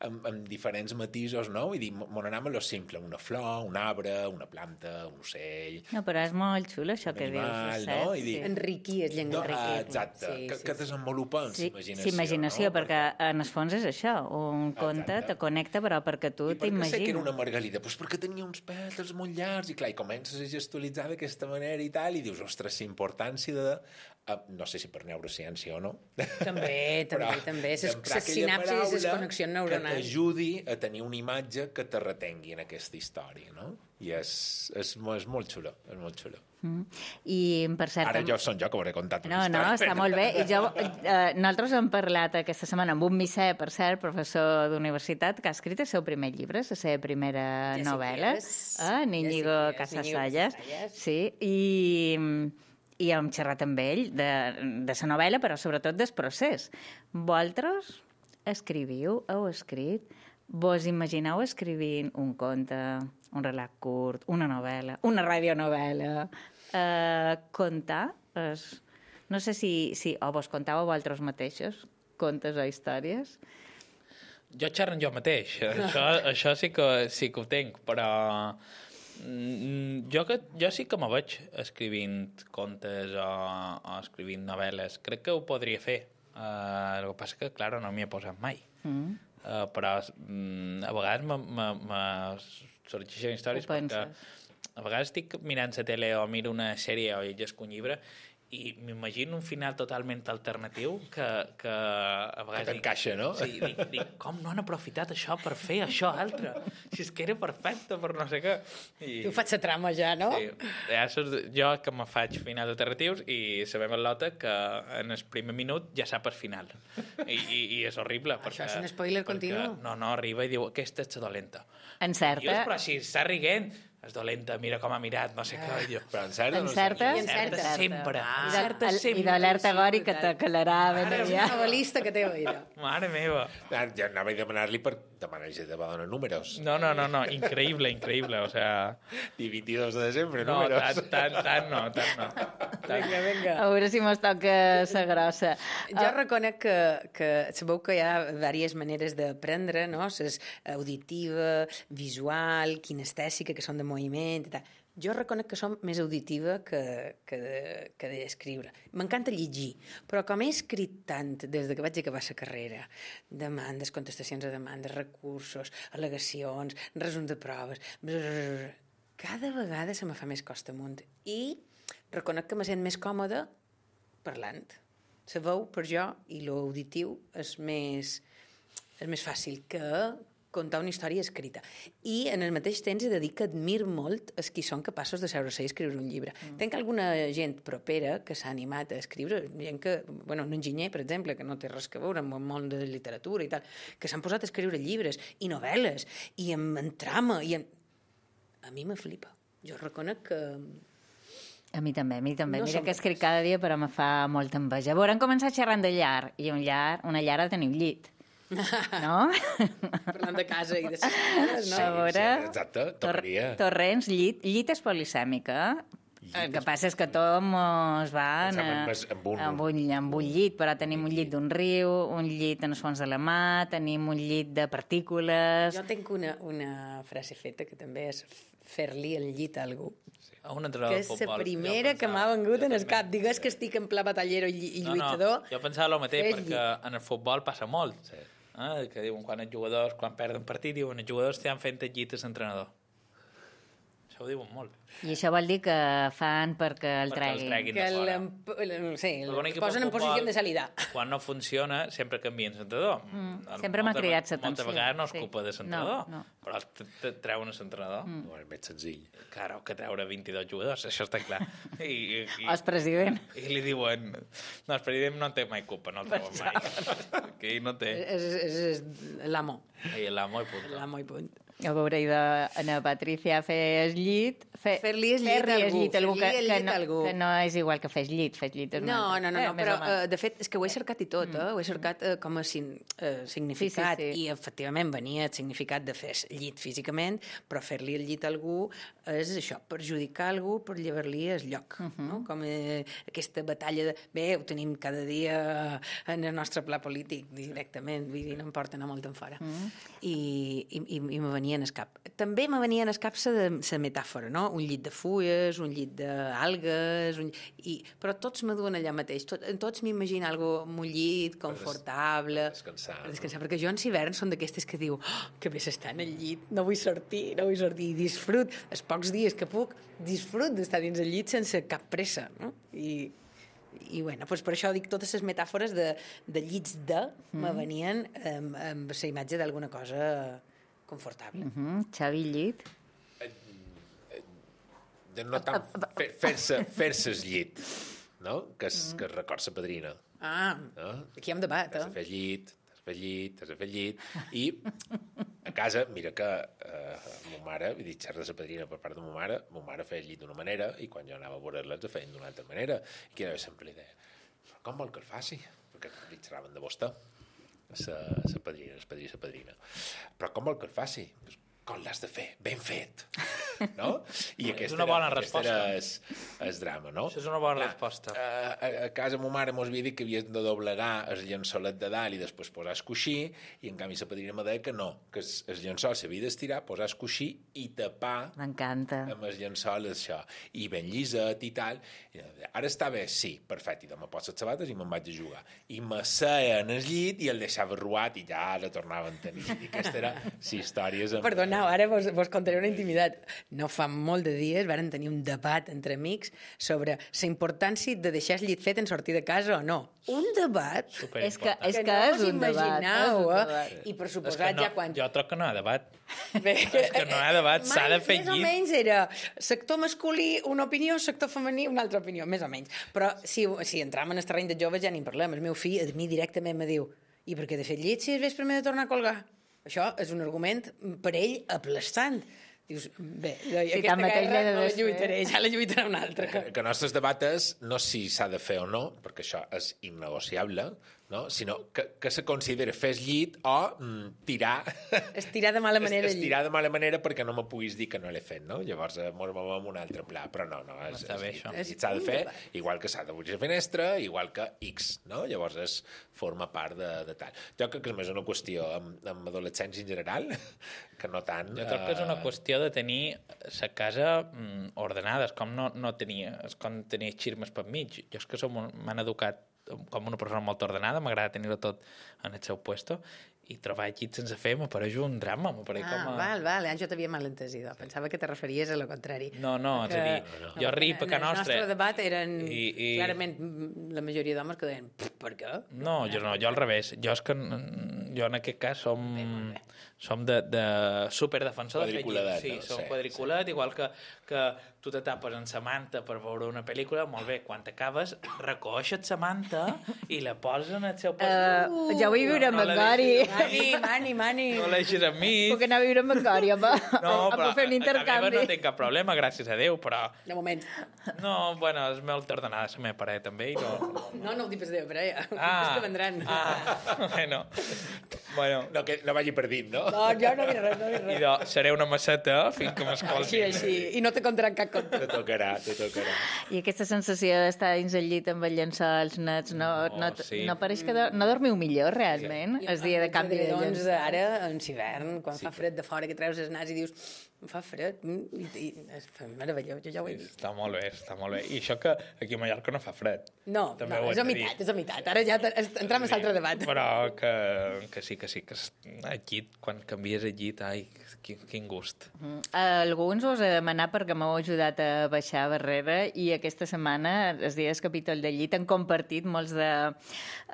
amb, amb diferents matisos, no? Vull dir, m'on anem a lo simple, una flor, un arbre, una planta, un ocell... No, però és molt xulo això que animal, dius, no? I dir, sí. Enriquir el llenguatge. No, exacte, sí, que, sí, que desenvolupa en sí, imaginació. Sí, imaginació, no? Perquè en el fons és això, un exacte. Conte te connecta, però perquè tu t'imagines. I per què sé que era una margalida? Pues perquè tenia uns pètals molt llargs i clar, i comences a gestualitzar d'aquesta manera i tal, i dius, ostres, la importància de... Uh, no sé si per neurociència o no. També, també, també. Les sinapsis i les connexions neuronals. Que t'ajudi a tenir una imatge que te retengui en aquesta història, no? I és, és, és molt xulo, és molt xulo. Mm. I, per cert... Ara jo som jo que hauré contat una no, història. No, està molt bé. I jo, eh, nosaltres hem parlat aquesta setmana amb un Missé, per cert, professor d'universitat, que ha escrit el seu primer llibre, la seva primera ja novel·la, eh? Níñigo Casasallas. Sí, i... i hem xerrat amb ell de, de la novel·la, però sobretot del procés. Vosaltres escriviu, heu escrit, vos imagineu escrivint un conte, un relat curt, una novel·la, una radionovel·la, eh, contar, es, no sé si, si o vos contàveu vosaltres mateixos contes o històries? Jo xerro jo mateix, això, això sí que, sí que ho tinc, però... Jo, que, jo sí que me veig escrivint contes o, o escrivint novel·les. Crec que ho podria fer. Uh, el que passa que, clar, no m'hi he posat mai. Mm. Uh, però um, a vegades me, me, me sorgeixen històries perquè a vegades estic mirant la tele o miro una sèrie o llegesc un llibre i m'imagino un final totalment alternatiu que, que a vegades... Que t'encaixa, no? Sí, dic, dic, com no han aprofitat això per fer això altre? Si és que era perfecte per no sé què. I... Tu faig la trama ja, no? Sí, ja saps, jo que me faig finals alternatius i sabem el Lota que en el primer minut ja sap el final. I, i, i és horrible. Perquè, això és un spoiler continu? No, no, arriba i diu, aquesta és la dolenta. Encerta. Dius, però si està riguent, és dolenta, mira com ha mirat, no sé què. Jo. Però encerta o no Encerta? Encerta sempre. I Encerta de- sempre. I d'alerta gori que te calarà ben Ara és una aviat. novel·lista que té oïda. Mare meva. Ah, ja anava a demanar-li per demanar-li de donar números. No, no, no, no, increïble, increïble, o sea... I vint-i-dos de desembre, No, números. tant, tant, tant no, tant no. Tant. Vinga, vinga. A veure si mos toca la grossa. Jo reconec que, que sabeu que hi ha diverses maneres d'aprendre, no? És auditiva, visual, kinestèsica, que són de moviment i tal. Jo reconec que som més auditiva que, que, de, que d'escriure. M'encanta llegir, però com he escrit tant des de que vaig acabar la carrera, demandes, contestacions a demandes, recursos, al·legacions, resums de proves, brrr, cada vegada se me fa més costa amunt. I reconec que me sent més còmode parlant. La veu, per jo, i l'auditiu és més, és més fàcil que contar una història escrita. I en el mateix temps he de dir que admiro molt els qui són capaços de seure-se i escriure un llibre. Mm. Tenc alguna gent propera que s'ha animat a escriure, gent que, bueno, un enginyer, per exemple, que no té res a veure amb el món de literatura i tal, que s'han posat a escriure llibres i novel·les, i en, en trama, i en... A mi me flipa. Jo reconec que... A mi també, a mi també. No Mira som que escric capaços. cada dia, però me fa molta enveja. Veure, hem començat xerrant de llar, i un llar, una llar ha de tenir un llit. No? Parlant de casa i de ses cases, no? A veure... sí, exacte, tocaria. Torrents, llit. Llit és polisèmica. El que passa és que tot mos va en, Pensàvem més en un- amb, un, amb un llit, però tenim un llit d'un riu, un llit en els fons de la mà, tenim un llit de partícules... Jo tinc una, una frase feta que també és fer-li el llit a algú. A un entrenador Que de és futbol. la primera Jo que m'ha pensava- vengut jo en el també. cap. Digues que estic en pla batallero i, i lluitador. No, no, jo pensava el mateix, fes perquè en el futbol passa molt. Sí. Eh? Que diuen, quan els jugadors, quan perden partit, diuen, els jugadors estan fent el llit a l'entrenador. Això ho diuen molt. I això vol dir que fan perquè el Perquè el treguin. treguin. Que de fora. l'emp- l'em- sí, Però el un equip posen de en posició futbol, de salida. Quan no funciona, sempre canvien l'entrenador. Mm, sempre m'ha cridat l'atenció. Moltes vegades no és Sí. culpa de l'entrenador, No, no. però te, te treuen l'entrenador. Mm. No, és més senzill. Claro, que treure vint-i-dos jugadors, això està clar. I, i, i, El president. I li diuen... No, el president no en té mai culpa, no el treuen mai. Que ell no té. És, és, és l'amo. I l'amo i punt. L'amo i punt. A veure, i de Ana Patricia fer el llit... Fer, Fer-li el llit fer-li a algú, llit a algú, que, fer-li el que, llit no, a algú. que no és igual que fes llit, fes llit és una No, altra. no, no, Eh, no més però o menys. uh, de fet és que ho he cercat i tot, eh? Ho he cercat uh, com a sin, uh, significat Sí, sí, sí. i efectivament venia el significat de fer llit físicament, però fer-li el llit a algú és això, perjudicar algú per llevar-li el lloc, uh -huh. no? Com eh, aquesta batalla de... Bé, ho tenim cada dia en el nostre pla polític directament, vull dir, no em porten a molt en fora. Uh -huh. I, i, i, i me venia en el cap. També me venia en el cap la metàfora, no? Un llit de fulles, un llit d'algues, un... I, però tots me duen allà mateix. Tot, en tots m'imagino algo amb un llit, confortable... descansar, Per descansar, perquè jo en hivern són d'aquestes que diu oh, que bé s'està en el llit, no vull sortir, no vull sortir, i disfrut, els pocs dies que puc, disfrut d'estar dins el llit sense cap pressa, no? I, i bueno, doncs per això dic totes les metàfores de, de llits de mm. me venien amb, amb la imatge d'alguna cosa confortable. Uh -huh. Xavi Llit. De no tant fer- fer-se fer-se el llit, no? Que es, que es record sa padrina. Ah, No? aquí hi ha un debat, T'has de eh? fer llit, t'has de fer llit, t'has de fer llit. I a casa, mira que eh, ma mare, vull dir, xerra de sa padrina per part de ma mare, ma mare feia el llit d'una manera i quan jo anava a veure-la ens ho feien d'una altra manera. I que sempre li deia, però com vol que el faci? Perquè li xerraven de vostè, sa, sa padrina, sa padrina, sa padrina. Però com vol que el faci? Pues, com l'has de fer? Ben fet. No? I És una bona era, resposta. Era es, es drama, no? Això és una bona Clar, resposta. A, a, a casa ma mare mos havia dit que havies de doblegar el llençolet de dalt i després posar el coixí, i en canvi la padrina me deia que no, que el, el llençol s'havia d'estirar, posar el coixí i tapar M'encanta. amb el llençol això, i ben lliset i tal. I deia, ara està bé? Sí, perfecte. I demà poso les sabates i me'n vaig a jugar. I me seia en el llit i el deixava ruat i ja la tornaven a tenir. I aquesta era, sí, històries... Amb... Perdoneu, ara vos, vos contaré una intimitat. no fa molt de dies varen tenir un debat entre amics sobre la importància de deixar el llit fet en sortir de casa o no. Un debat és que, és que, que no és us un debat. imagineu, és un eh? debat. I per És suposat que no, ja quan... Jo troc que no hi ha debat. Bé, És que no hi ha debat, s'ha de fer Més o llit. menys era sector masculí una opinió, sector femení una altra opinió, més o menys. Però si, si entram en el terreny de joves ja ni en parlem. El meu fill a mi directament me diu i per què de fer llit si és vespre m'he de tornar a colgar? Això és un argument per ell aplastant. Dius, bé, jo, Sí, aquesta tanmateix guerra l'he de no la desfer. lluitaré, ja la lluitarà una altra. Que, que el nostre debat és no si s'ha de fer o no, perquè això és innegociable, no? Sinó que, que se considera fer el llit o mm, tirar... Estirar de mala manera el llit. Estirar de mala manera perquè no me puguis dir que no l'he fet, no? Llavors eh, mos movem amb un altre pla. Però no, no, és, Està bé, és, això. el llit s'ha de fer, igual que s'ha d'obrir la finestra, igual que X, no? Llavors és, forma part de, de tal. Jo crec que és més una qüestió amb, amb adolescents en general, que no tant... Jo crec que és una qüestió de tenir la casa mm, ordenada, és com no, no tenia, és com tenir xirmes per mig. Jo és que som, m'han educat com una persona molt ordenada, m'agrada tenir-ho tot en el seu puesto, i trobar llits sense fer m'apareix un drama, m'apareix Ah, com a... val, val, jo t'havia malentès, idò. Pensava que te referies a lo contrari. No, no, és a dir, Que- jo arrib a casa nostra... En el nostre debat eren, I, i... clarament, la majoria d'homes que deien, per què? No, jo no, jo al revés. Jo és que jo en aquest cas som, som de, de superdefensor de fer Quadriculadet, llit. Sí, no? som Sí, quadriculat, igual que, que tu te tapes en sa manta per veure una pel·lícula, molt bé, quan t'acabes, recoixes sa manta i la poses en el seu pas. Uh, ja vull viure amb en Gori. Mani, mani, mani. No l'eixis amb mi. Puc anar a viure amb en Gori, home. No, Em però puc fer un a- a la intercanvi. meva no tinc cap problema, gràcies a Déu, però... De moment. No, bueno, és molt ordenada la meva parella, també, i no... No, no ho dic pas de però ja. Ah, És que vendran. ah, bueno. Bueno, No, que no vagi per dit, no? No, jo no dic res, no dic res. idò, seré una masseta fins que m'escolti. Així, així. I no te contaran cap conte. Te tocarà, te tocarà. I aquesta sensació d'estar dins el llit amb els llençols nets, no, no, No, no, sí. no pareix que do, no dormiu millor, realment, el dia de canvi de Doncs llençols? ara, en hivern, quan fa fred de fora, que treus el nas i dius, em fa fred, mm, i, i és meravellós, jo ja ho he vist. Està molt bé, està molt bé. I això que aquí a Mallorca no fa fred. No, També no, ho és hem a de dir. meitat, és a meitat. Ara ja te- es- entrem a l'altre debat. Però que, que sí, que sí, que es- el llit, quan canvies el llit, ai, quin, quin gust. Mm. Alguns us he de demanar perquè m'heu ajudat a baixar barrera i aquesta setmana, els dies capítol de llit, han compartit molts de,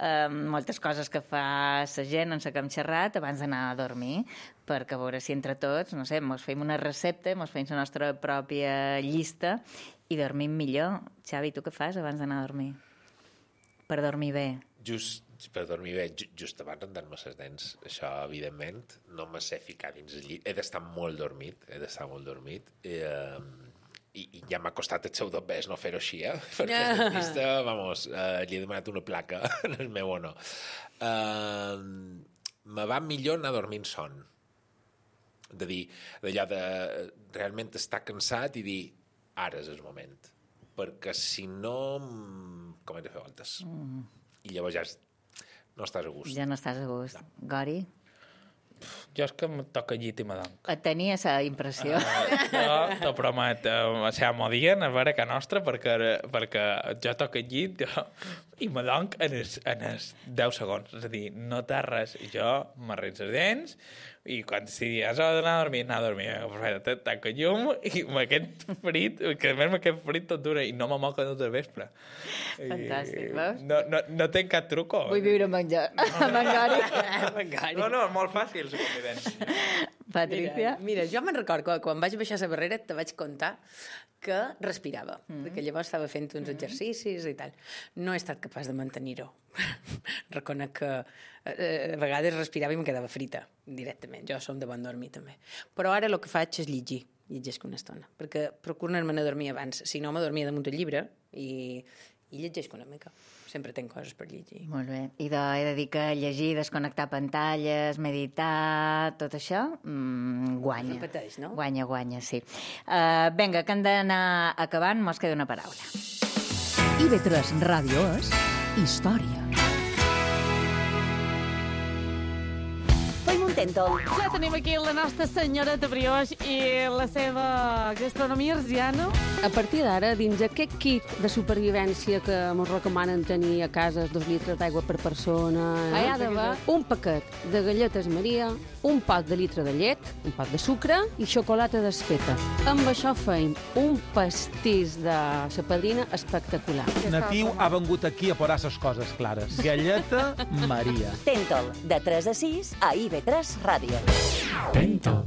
eh, moltes coses que fa la gent en la que hem xerrat abans d'anar a dormir, perquè a veure si entre tots, no sé, mos fem una recepta, mos fem la nostra pròpia llista i dormim millor. Xavi, tu què fas abans d'anar a dormir? Per dormir bé. Just per dormir bé, ju- just abans d'andar-me les dents, això, evidentment, no me sé ficar dins el llit. He d'estar molt dormit, he d'estar molt dormit. I, eh, i, i ja m'ha costat el seu dobbers no fer-ho així, eh? Perquè el dentista, vamos, eh, li he demanat una placa en el meu honor. Eh, me va millor anar dormint son. De dir, d'allò de realment estar cansat i dir, ara és el moment. Perquè si no, mm, com he de fer voltes. Mm. I llavors ja és- no estàs a gust. Ja no estàs a gust. Gori? Jo és que em toca llit i m'adonc. Et tenia aquesta impressió. Jo t'ho promet, eh, se m'ho dient a veure que nostra, perquè, perquè jo toco el llit jo, i m'adonc en els, en els deu segons. És a dir, no t'has res. I jo m'arrenc els dents i quan sigui, has d'anar a dormir, anar a dormir. Perfecte, tanco el llum i m'aquest frit, que a més m'aquest frit tot dura i no me moca tot el vespre. Fantàstic, I veus? No, no, no tenc cap truco. Vull viure amb en, jo, amb en Gori. No, no, és molt fàcil, la convivència. Patricia? Mira, mira, jo me'n record que quan vaig baixar la barrera te vaig contar que respirava, mm. perquè llavors estava fent uns exercicis i tal. No he estat capaç de mantenir-ho. Reconec que eh, a vegades respirava i em quedava frita, directament. Jo som de bon dormir, també. Però ara el que faig és llegir, llegeixo una estona, perquè procuro anar-me'n a dormir abans. Si no, me dormia damunt el llibre i, i llegeixo una mica. Sempre tenc coses per llegir. Molt bé. I de, he de dir que llegir, desconnectar pantalles, meditar, tot això, mmm, guanya. Repeteix, no? Guanya, guanya, sí. Uh, vinga, que hem d'anar acabant, mos queda una paraula. I B tres Ràdio és història. Feim un Tentol. Ja tenim aquí la nostra senyoreta Brioix i la seva gastronomia arsiana. A partir d'ara, dins aquest kit de supervivència que ens recomanen tenir a casa, dos litres d'aigua per persona, hi ha d'haver un paquet de galletes Maria, un pot de litre de llet, un pot de sucre i xocolata desfeta. Amb això feim un pastís de la padrina espectacular. Natiu ha vengut aquí a posar les coses clares. Galleta Maria. Tentol, de tres a sis a I V tres Ràdio. Tentol.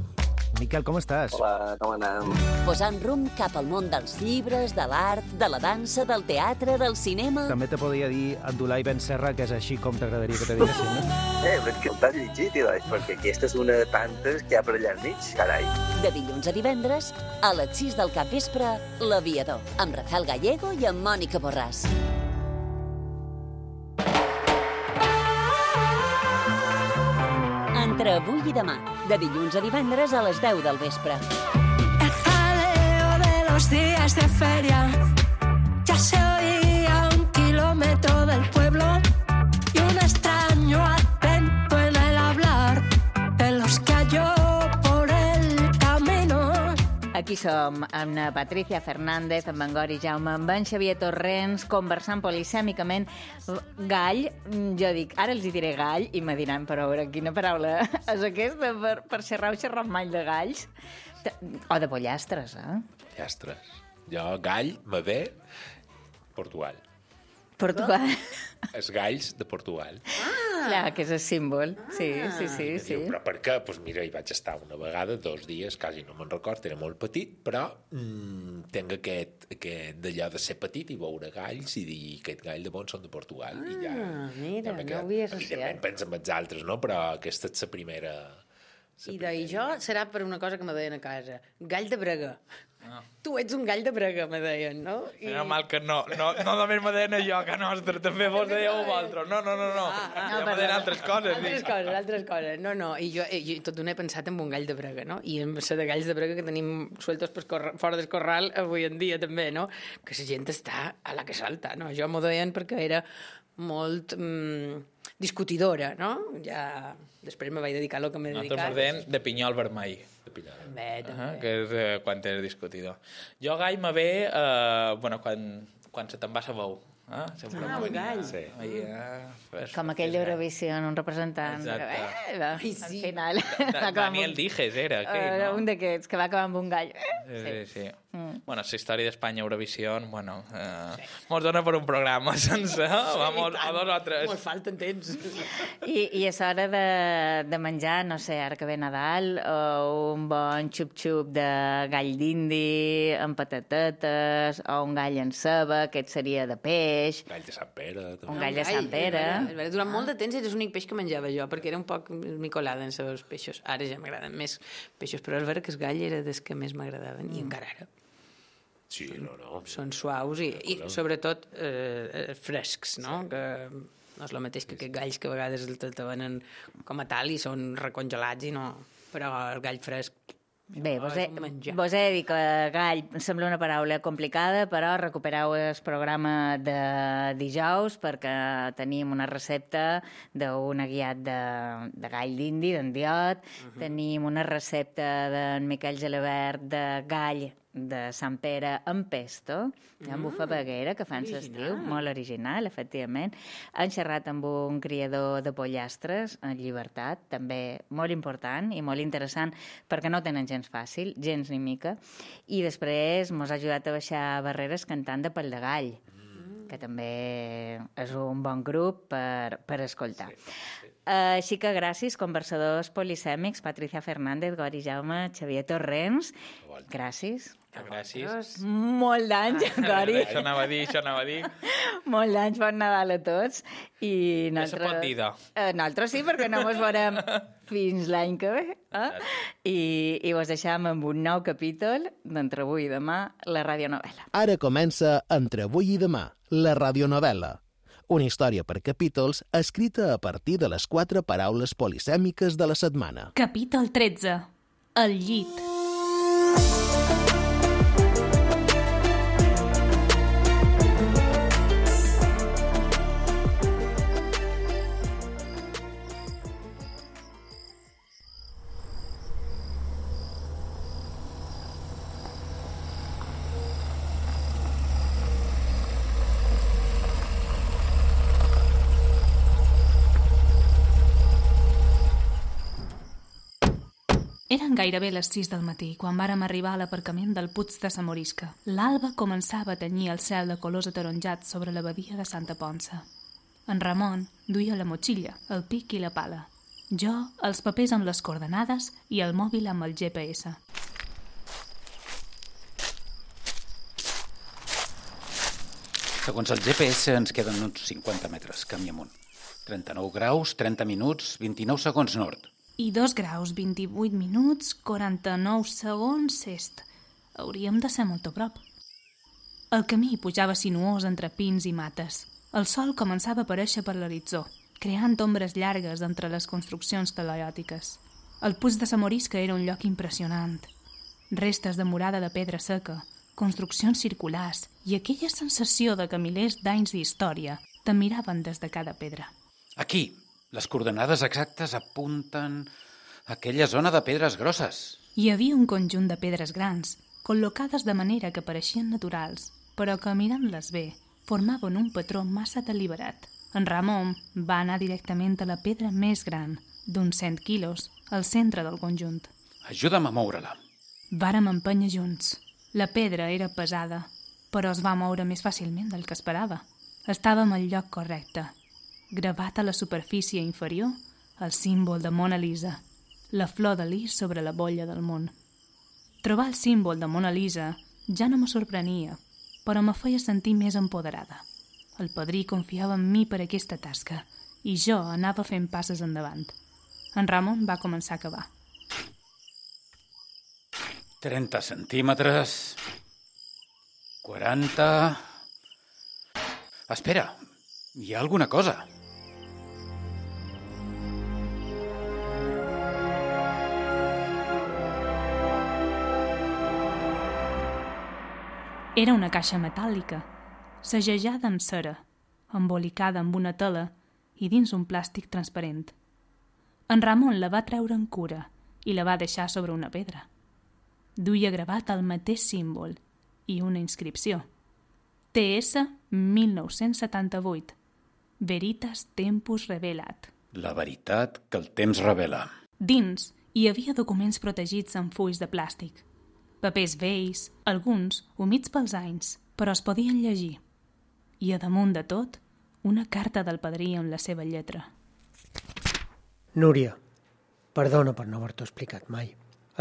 Miquel, com estàs? Hola, com anem? Posant rumb cap al món dels llibres, de l'art, de la dansa, del teatre, del cinema... També te podria dir Abdulai Ben Serra, que és així com t'agradaria que te diguessin, no? Eh, però és que t'has llegit, Ilai, perquè aquesta és una de tantes que hi ha per allà al mig, carai. De dilluns a divendres, a les sis del capvespre, L'Aviador, amb Rafael Gallego i amb Mònica Borràs. Entre avui i demà, de dilluns a divendres a les deu del vespre. El jaleo de los días de feria ya se oía a un kilómetro del pueblo y un extraño acento en el hablar de los que halló por el camino. Aquí som amb la Patricia Fernández, amb en Gori Jaume, amb en Xavier Torrents, conversant polisèmicament. Gall, jo dic, ara els hi diré gall, i me diran, però a veure, quina paraula és aquesta per, per xerrar o xerrar mai de galls? O de pollastres, eh? Pollastres. Jo, gall, me ve, Portugal. Portugal. Els galls de Portugal. Ah! Clar, que és el símbol. Sí, sí, sí. sí. Diu, però per què? Doncs pues mira, hi vaig estar una vegada, dos dies, quasi no me'n record, era molt petit, però mm, tinc aquest, aquest d'allò de ser petit i veure galls i dir aquest gall de bon són de Portugal. Ah, i ja, mira, ja no ho havia associat. Evidentment penso en els altres, no? Però aquesta és la primera... I de jo serà per una cosa que me deien a casa. Gall de brega. Ah. Tu ets un gall de brega, me deien, no? I... Era mal que no, no, no només me deien jo, que nostre, també vos dèieu vosaltres. No, no, no, no. Ah, ah, ja me deien altres coses. Altres coses, altres coses. No, no, i jo, jo tot d'una he pensat en un gall de brega, no? I en ser de galls de brega que tenim sueltos per corra, fora del corral avui en dia també, no? Que la gent està a la que salta, no? Jo m'ho deien perquè era molt mm, discutidora, no? Ja després me vaig dedicar a lo que m'he dedicat. Nosaltres deien de pinyol vermell. De pinyol. Bé, també. Uh -huh, que és eh, quan és discutidor. Jo gall me ve eh, bueno, quan, quan se te'n va la veu. Ah, ah un gall. Sí. Ai, ah, fes, com aquell d'Eurovisió en un representant. Exacte. Eh, va, Ai, sí. Al final. Da, Daniel Dijes era aquell, uh, no? Un d'aquests, que va acabar amb un gall. Sí, sí. sí. Mm. Bueno, la història d'Espanya Eurovisió, bueno, eh, sí. mos dona per un programa sense, sí, vamos, a dos o tres. Mos falten temps. I, i és hora de, de menjar, no sé, ara que ve Nadal, o un bon xup-xup de gall d'indi amb patatetes, o un gall en ceba, aquest seria de peix. Gall de Sant Pere. També. Un gall de Sant Pere. Durant molt de temps era l'únic peix que menjava jo, perquè era un poc micolada en els peixos. Ara ja m'agraden més peixos, però és vera que el gall era dels que més m'agradaven, mm. i encara ara. Sí, no, no. Són suaus i, i sobretot eh, frescs, no? Que no és el mateix que aquests galls que a vegades te venen com a tal i són recongelats i no... Però el gall fresc... Bé, vos he, vos he de dir que gall sembla una paraula complicada, però recupereu el programa de dijous perquè tenim una recepta d'un guiat de, de gall d'indi, d'endiot, uh-huh. Tenim una recepta d'en Miquel Gelabert de gall de Sant Pere amb pesto, mm. amb bufabaguera, que fan l'estiu, molt original, efectivament. Han xerrat amb un criador de pollastres, en llibertat, també molt important i molt interessant, perquè no tenen gens fàcil, gens ni mica, i després mos ha ajudat a baixar barreres cantant de Pal de Gall, mm. que també és un bon grup per, per escoltar. Sí, sí. Uh, així que gràcies, conversadors polisèmics, Patricia Fernández, Gori Jaume, Xavier Torrents. Gràcies. Gràcies. Molt d'anys, ah, Gori. Això anava a dir, això anava a dir. Molt d'anys, bon Nadal a tots. I nosaltres... Ja se pot dir, do. Uh, nosaltres sí, perquè no mos veurem fins l'any que ve. Eh? I, I vos deixam amb un nou capítol d'Entre avui i demà, la radionovel·la. Ara comença Entre avui i demà, la radionovel·la. Una història per capítols escrita a partir de les quatre paraules polisèmiques de la setmana. Capítol tretze. El llit. Eren gairebé les sis del matí quan vàrem arribar a l'aparcament del Puig de sa Morisca. L'alba començava a tenyir el cel de colors ataronjats sobre la badia de Santa Ponça. En Ramon duia la motxilla, el pic i la pala. Jo, els papers amb les coordenades i el mòbil amb el G P S. Segons el G P S ens queden uns cinquanta metres, camí amunt. trenta-nou graus, trenta minuts, vint-i-nou segons nord. I dos graus, vint-i-vuit minuts, quaranta-nou segons est. Hauríem de ser molt a prop. El camí pujava sinuós entre pins i mates. El sol començava a aparèixer per l'horitzó, creant ombres llargues entre les construccions calaiòtiques. El Puig de sa Morisca era un lloc impressionant. Restes de murada de pedra seca, construccions circulars i aquella sensació de que milers d'anys d'història te miraven des de cada pedra. Aquí, les coordenades exactes apunten a aquella zona de pedres grosses. Hi havia un conjunt de pedres grans, col·locades de manera que pareixien naturals, però que mirant-les bé formaven un patró massa deliberat. En Ramon va anar directament a la pedra més gran, d'uns cent quilos, al centre del conjunt. Ajuda'm a moure-la. Vàrem empènyer junts. La pedra era pesada, però es va moure més fàcilment del que esperava. Estàvem al lloc correcte. Gravat a la superfície inferior, el símbol de Mona Lisa, la flor de lis sobre la bolla del món. Trobar el símbol de Mona Lisa ja no me sorprenia, però me feia sentir més empoderada. El padrí confiava en mi per aquesta tasca i jo anava fent passes endavant. En Ramon va començar a cavar. trenta centímetres... quaranta... Espera, hi ha alguna cosa. Era una caixa metàl·lica, segellada amb cera, embolicada amb una tela i dins un plàstic transparent. En Ramon la va treure en cura i la va deixar sobre una pedra. Duia gravat el mateix símbol i una inscripció. T S mil nou-cents setanta-vuit. Veritas Tempus Revelat. La veritat que el temps revela. Dins hi havia documents protegits amb fulls de plàstic. Papers vells, alguns humits pels anys, però es podien llegir. I a damunt de tot, una carta del padrí amb la seva lletra. Núria, perdona per no haver-t'ho explicat mai.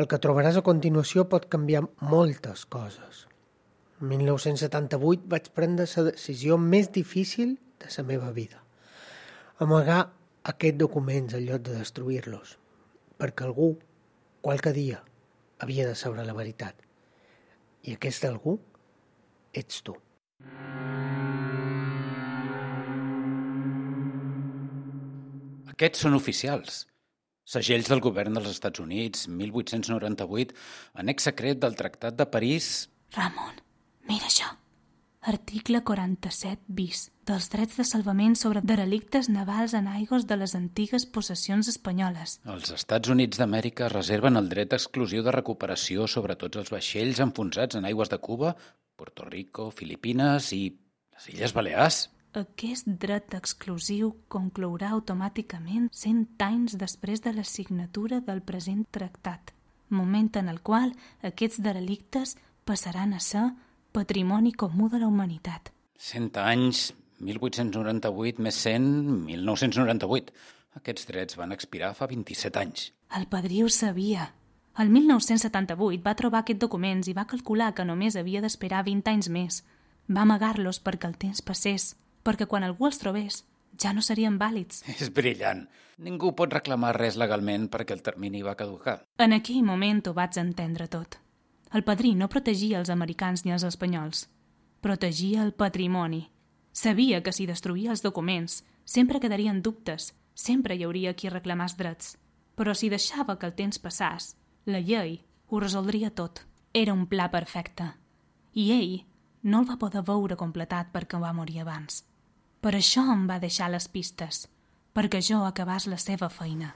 El que trobaràs a continuació pot canviar moltes coses. En mil nou-cents setanta-vuit vaig prendre la decisió més difícil de la meva vida. Amagar aquests documents en lloc de destruir-los, perquè algú, qualque dia, havia de saber la veritat. I aquest algú ets tu. Aquests són oficials. Segells del govern dels Estats Units, mil vuit-cents noranta-vuit, annex secret del Tractat de París... Ramon, mira això. Article quaranta-set bis dels drets de salvament sobre derelictes navals en aigües de les antigues possessions espanyoles. Els Estats Units d'Amèrica reserven el dret exclusiu de recuperació sobre tots els vaixells enfonsats en aigües de Cuba, Puerto Rico, Filipines i les Illes Balears. Aquest dret exclusiu conclourà automàticament cent anys després de la signatura del present tractat, moment en el qual aquests derelictes passaran a ser patrimoni comú de la humanitat. Cent anys, mil vuit-cents noranta-vuit més cent, mil nou-cents noranta-vuit. Aquests drets van expirar fa vint-i-set anys. El padrí ho sabia. El mil nou-cents setanta-vuit va trobar aquests documents i va calcular que només havia d'esperar vint anys més. Va amagar-los perquè el temps passés, perquè quan algú els trobés ja no serien vàlids. És brillant. Ningú pot reclamar res legalment perquè el termini va caducar. En aquell moment ho vaig entendre tot. El padrí no protegia els americans ni els espanyols. Protegia el patrimoni. Sabia que si destruïa els documents sempre quedarien dubtes, sempre hi hauria qui reclamàs drets. Però si deixava que el temps passàs, la llei ho resoldria tot. Era un pla perfecte. I ell no el va poder veure completat perquè va morir abans. Per això em va deixar les pistes, perquè jo acabàs la seva feina.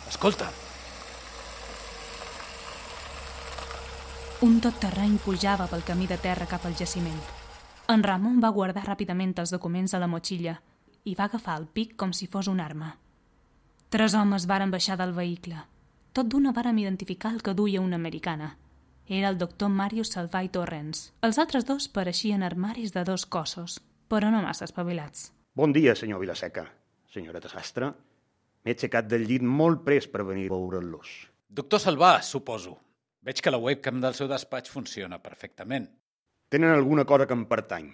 Escolta. Un tot-terreny pujava pel camí de terra cap al jaciment. En Ramon va guardar ràpidament els documents a la motxilla i va agafar el pic com si fos una arma. Tres homes varen baixar del vehicle. Tot d'una vàrem identificar el que duia una americana. Era el doctor Marius Salvai Torrens. Els altres dos pareixien armaris de dos cossos, però no massa espavilats. Bon dia, senyor Vilaseca. Senyoreta Sastre, m'he aixecat del llit molt pres per venir a veure'ls. Doctor Salvà, suposo. Veig que la webcam del seu despatx funciona perfectament. Tenen alguna cosa que em pertany.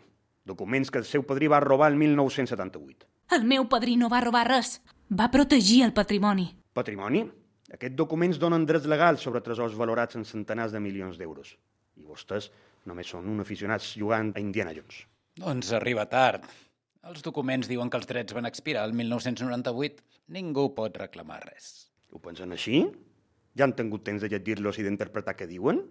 Documents que el seu padrí va robar el mil nou-cents setanta-vuit. El meu padrí no va robar res. Va protegir el patrimoni. Patrimoni? Aquests documents donen drets legals sobre tresors valorats en centenars de milions d'euros. I vostès només són un aficionats jugant a Indiana Jones. Doncs arriba tard. Els documents diuen que els drets van expirar el mil nou-cents noranta-vuit. Ningú pot reclamar res. Ho pensen així? Ja han tingut temps de llegir-los i d'interpretar què diuen?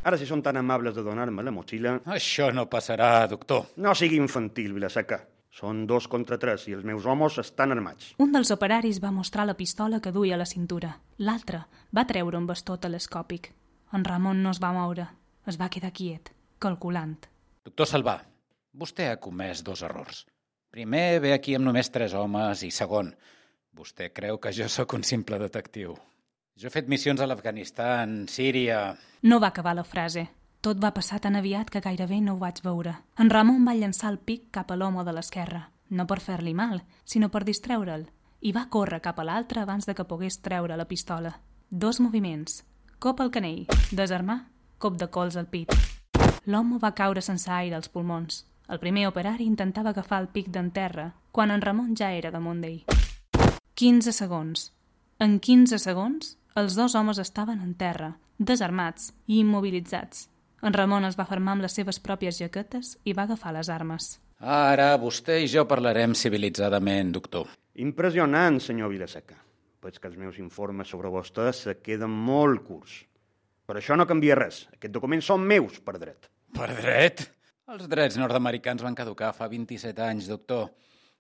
Ara, si són tan amables de donar-me la motxilla... Això no passarà, doctor. No sigui infantil, Vilaseca. Són dos contra tres i els meus homes estan armats. Un dels operaris va mostrar la pistola que duia a la cintura. L'altre va treure un bastó telescòpic. En Ramon no es va moure. Es va quedar quiet, calculant. Doctor Salvà, vostè ha comès dos errors. Primer, ve aquí amb només tres homes i segon, vostè creu que jo sóc un simple detectiu. Jo he fet missions a l'Afganistan, Síria... No va acabar la frase. Tot va passar tan aviat que gairebé no ho vaig veure. En Ramon va llançar el pic cap a l'home de l'esquerra, no per fer-li mal, sinó per distreure'l, i va córrer cap a l'altre abans de que pogués treure la pistola. Dos moviments. Cop al canell, desarmar, cop de cols al pit. L'home va caure sense aire als pulmons. El primer operari intentava agafar el pic d'en terra, quan en Ramon ja era damunt d'ell. quinze segons. En quinze segons, els dos homes estaven en terra, desarmats i immobilitzats. En Ramon es va fermar amb les seves pròpies jaquetes i va agafar les armes. Ara vostè i jo parlarem civilitzadament, doctor. Impressionant, senyor Vilaseca. Veig que els meus informes sobre vostè se queden molt curts. Per això no canvia res. Aquests documents són meus, per dret. Per dret? Els drets nord-americans van caducar fa vint-i-set anys, doctor.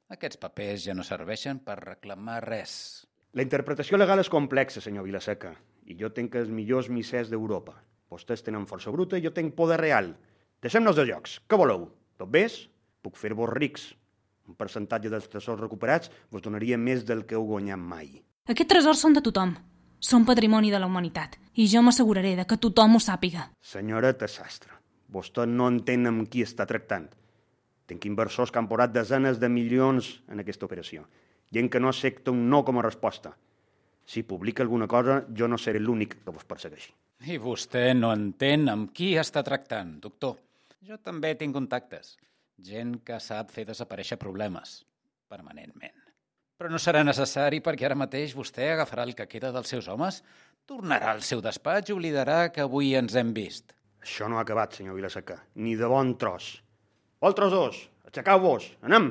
Aquests papers ja no serveixen per reclamar res. La interpretació legal és complexa, senyor Vilaseca, i jo tenc els millors missers d'Europa. Vostès tenen força bruta i jo tenc poder real. Deixem-nos de jocs. Què voleu? Tot bé? Puc fer-vos rics. Un percentatge dels tresors recuperats vos donaria més del que heu guanyat mai. Aquests tresors són de tothom. Són patrimoni de la humanitat. I jo m'asseguraré de que tothom ho sàpiga. Senyoreta Sastre, vostè no entén amb qui està tractant. Tenc inversors que han posat desenes de milions en aquesta operació. Gent que no accepta un no com a resposta. Si publica alguna cosa, jo no seré l'únic que vos persegueixi. I vostè no entén amb qui està tractant, doctor. Jo també tinc contactes. Gent que sap fer desaparèixer problemes, permanentment. Però no serà necessari perquè ara mateix vostè agafarà el que queda dels seus homes, tornarà al seu despatx i oblidarà que avui ens hem vist. Això no ha acabat, senyor Vilaseca. Ni de bon tros. Altres dos, aixecau-vos, anem!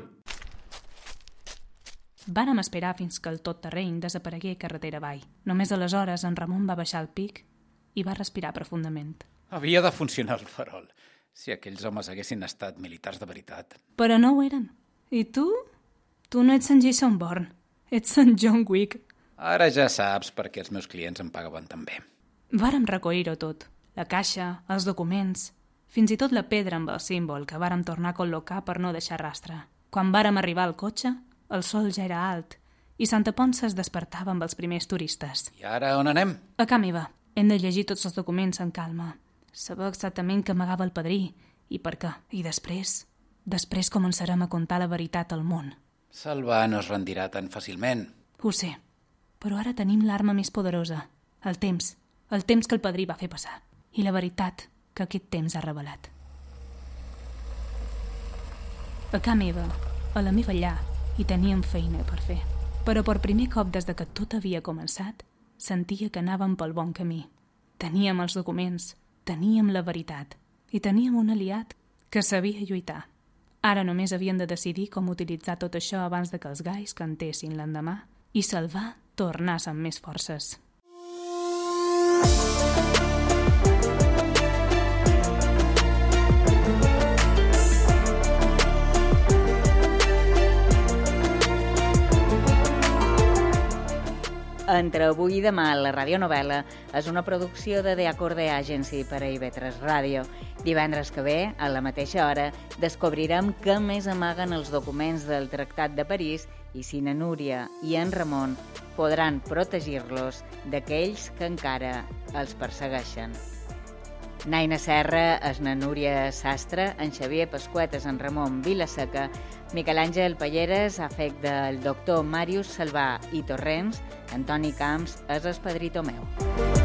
Vàrem esperar fins que el tot terreny desaparegué carretera avall. Només aleshores en Ramon va baixar el pic i va respirar profundament. Havia de funcionar el farol, si aquells homes haguessin estat militars de veritat. Però no ho eren. I tu? Tu no ets en Jason Bourne, ets en John Wick. Ara ja saps per què els meus clients em pagaven tan bé. Vàrem recollir-ho tot. La caixa, els documents, fins i tot la pedra amb el símbol que vàrem tornar a col·locar per no deixar rastre. Quan vàrem arribar al cotxe, el sol ja era alt i Santa Ponça es despertava amb els primers turistes. I ara on anem? A ca meva. Hem de llegir tots els documents en calma. Saber exactament què amagava el padrí i per què. I després, després començarem a contar la veritat al món. Salvà no es rendirà tan fàcilment. Ho sé, però ara tenim l'arma més poderosa, el temps, el temps que el padrí va fer passar i la veritat que aquest temps ha revelat. A ca meva, a la meva llar, hi teníem feina per fer. Però per primer cop des de que tot havia començat, sentia que anàvem pel bon camí. Teníem els documents, teníem la veritat i teníem un aliat que sabia lluitar. Ara només havien de decidir com utilitzar tot això abans de que els gais cantessin l'endemà i Salvà tornàs amb més forces. En Entre avui i demà, la radionovel·la és una producció de The Acorde Agency per a I V tres Ràdio. Divendres que ve, a la mateixa hora, descobrirem què més amaguen els documents del Tractat de París i si na Núria i en Ramon podran protegir-los d'aquells que encara els persegueixen. Naina Serra és na Núria Sastre, en Xavier Pasquet és en Ramon Vilaseca, Miquel Àngel Palleres ha fet del doctor Màrius Salvà i Torrents, Antoni Camps és el Pedrito meu.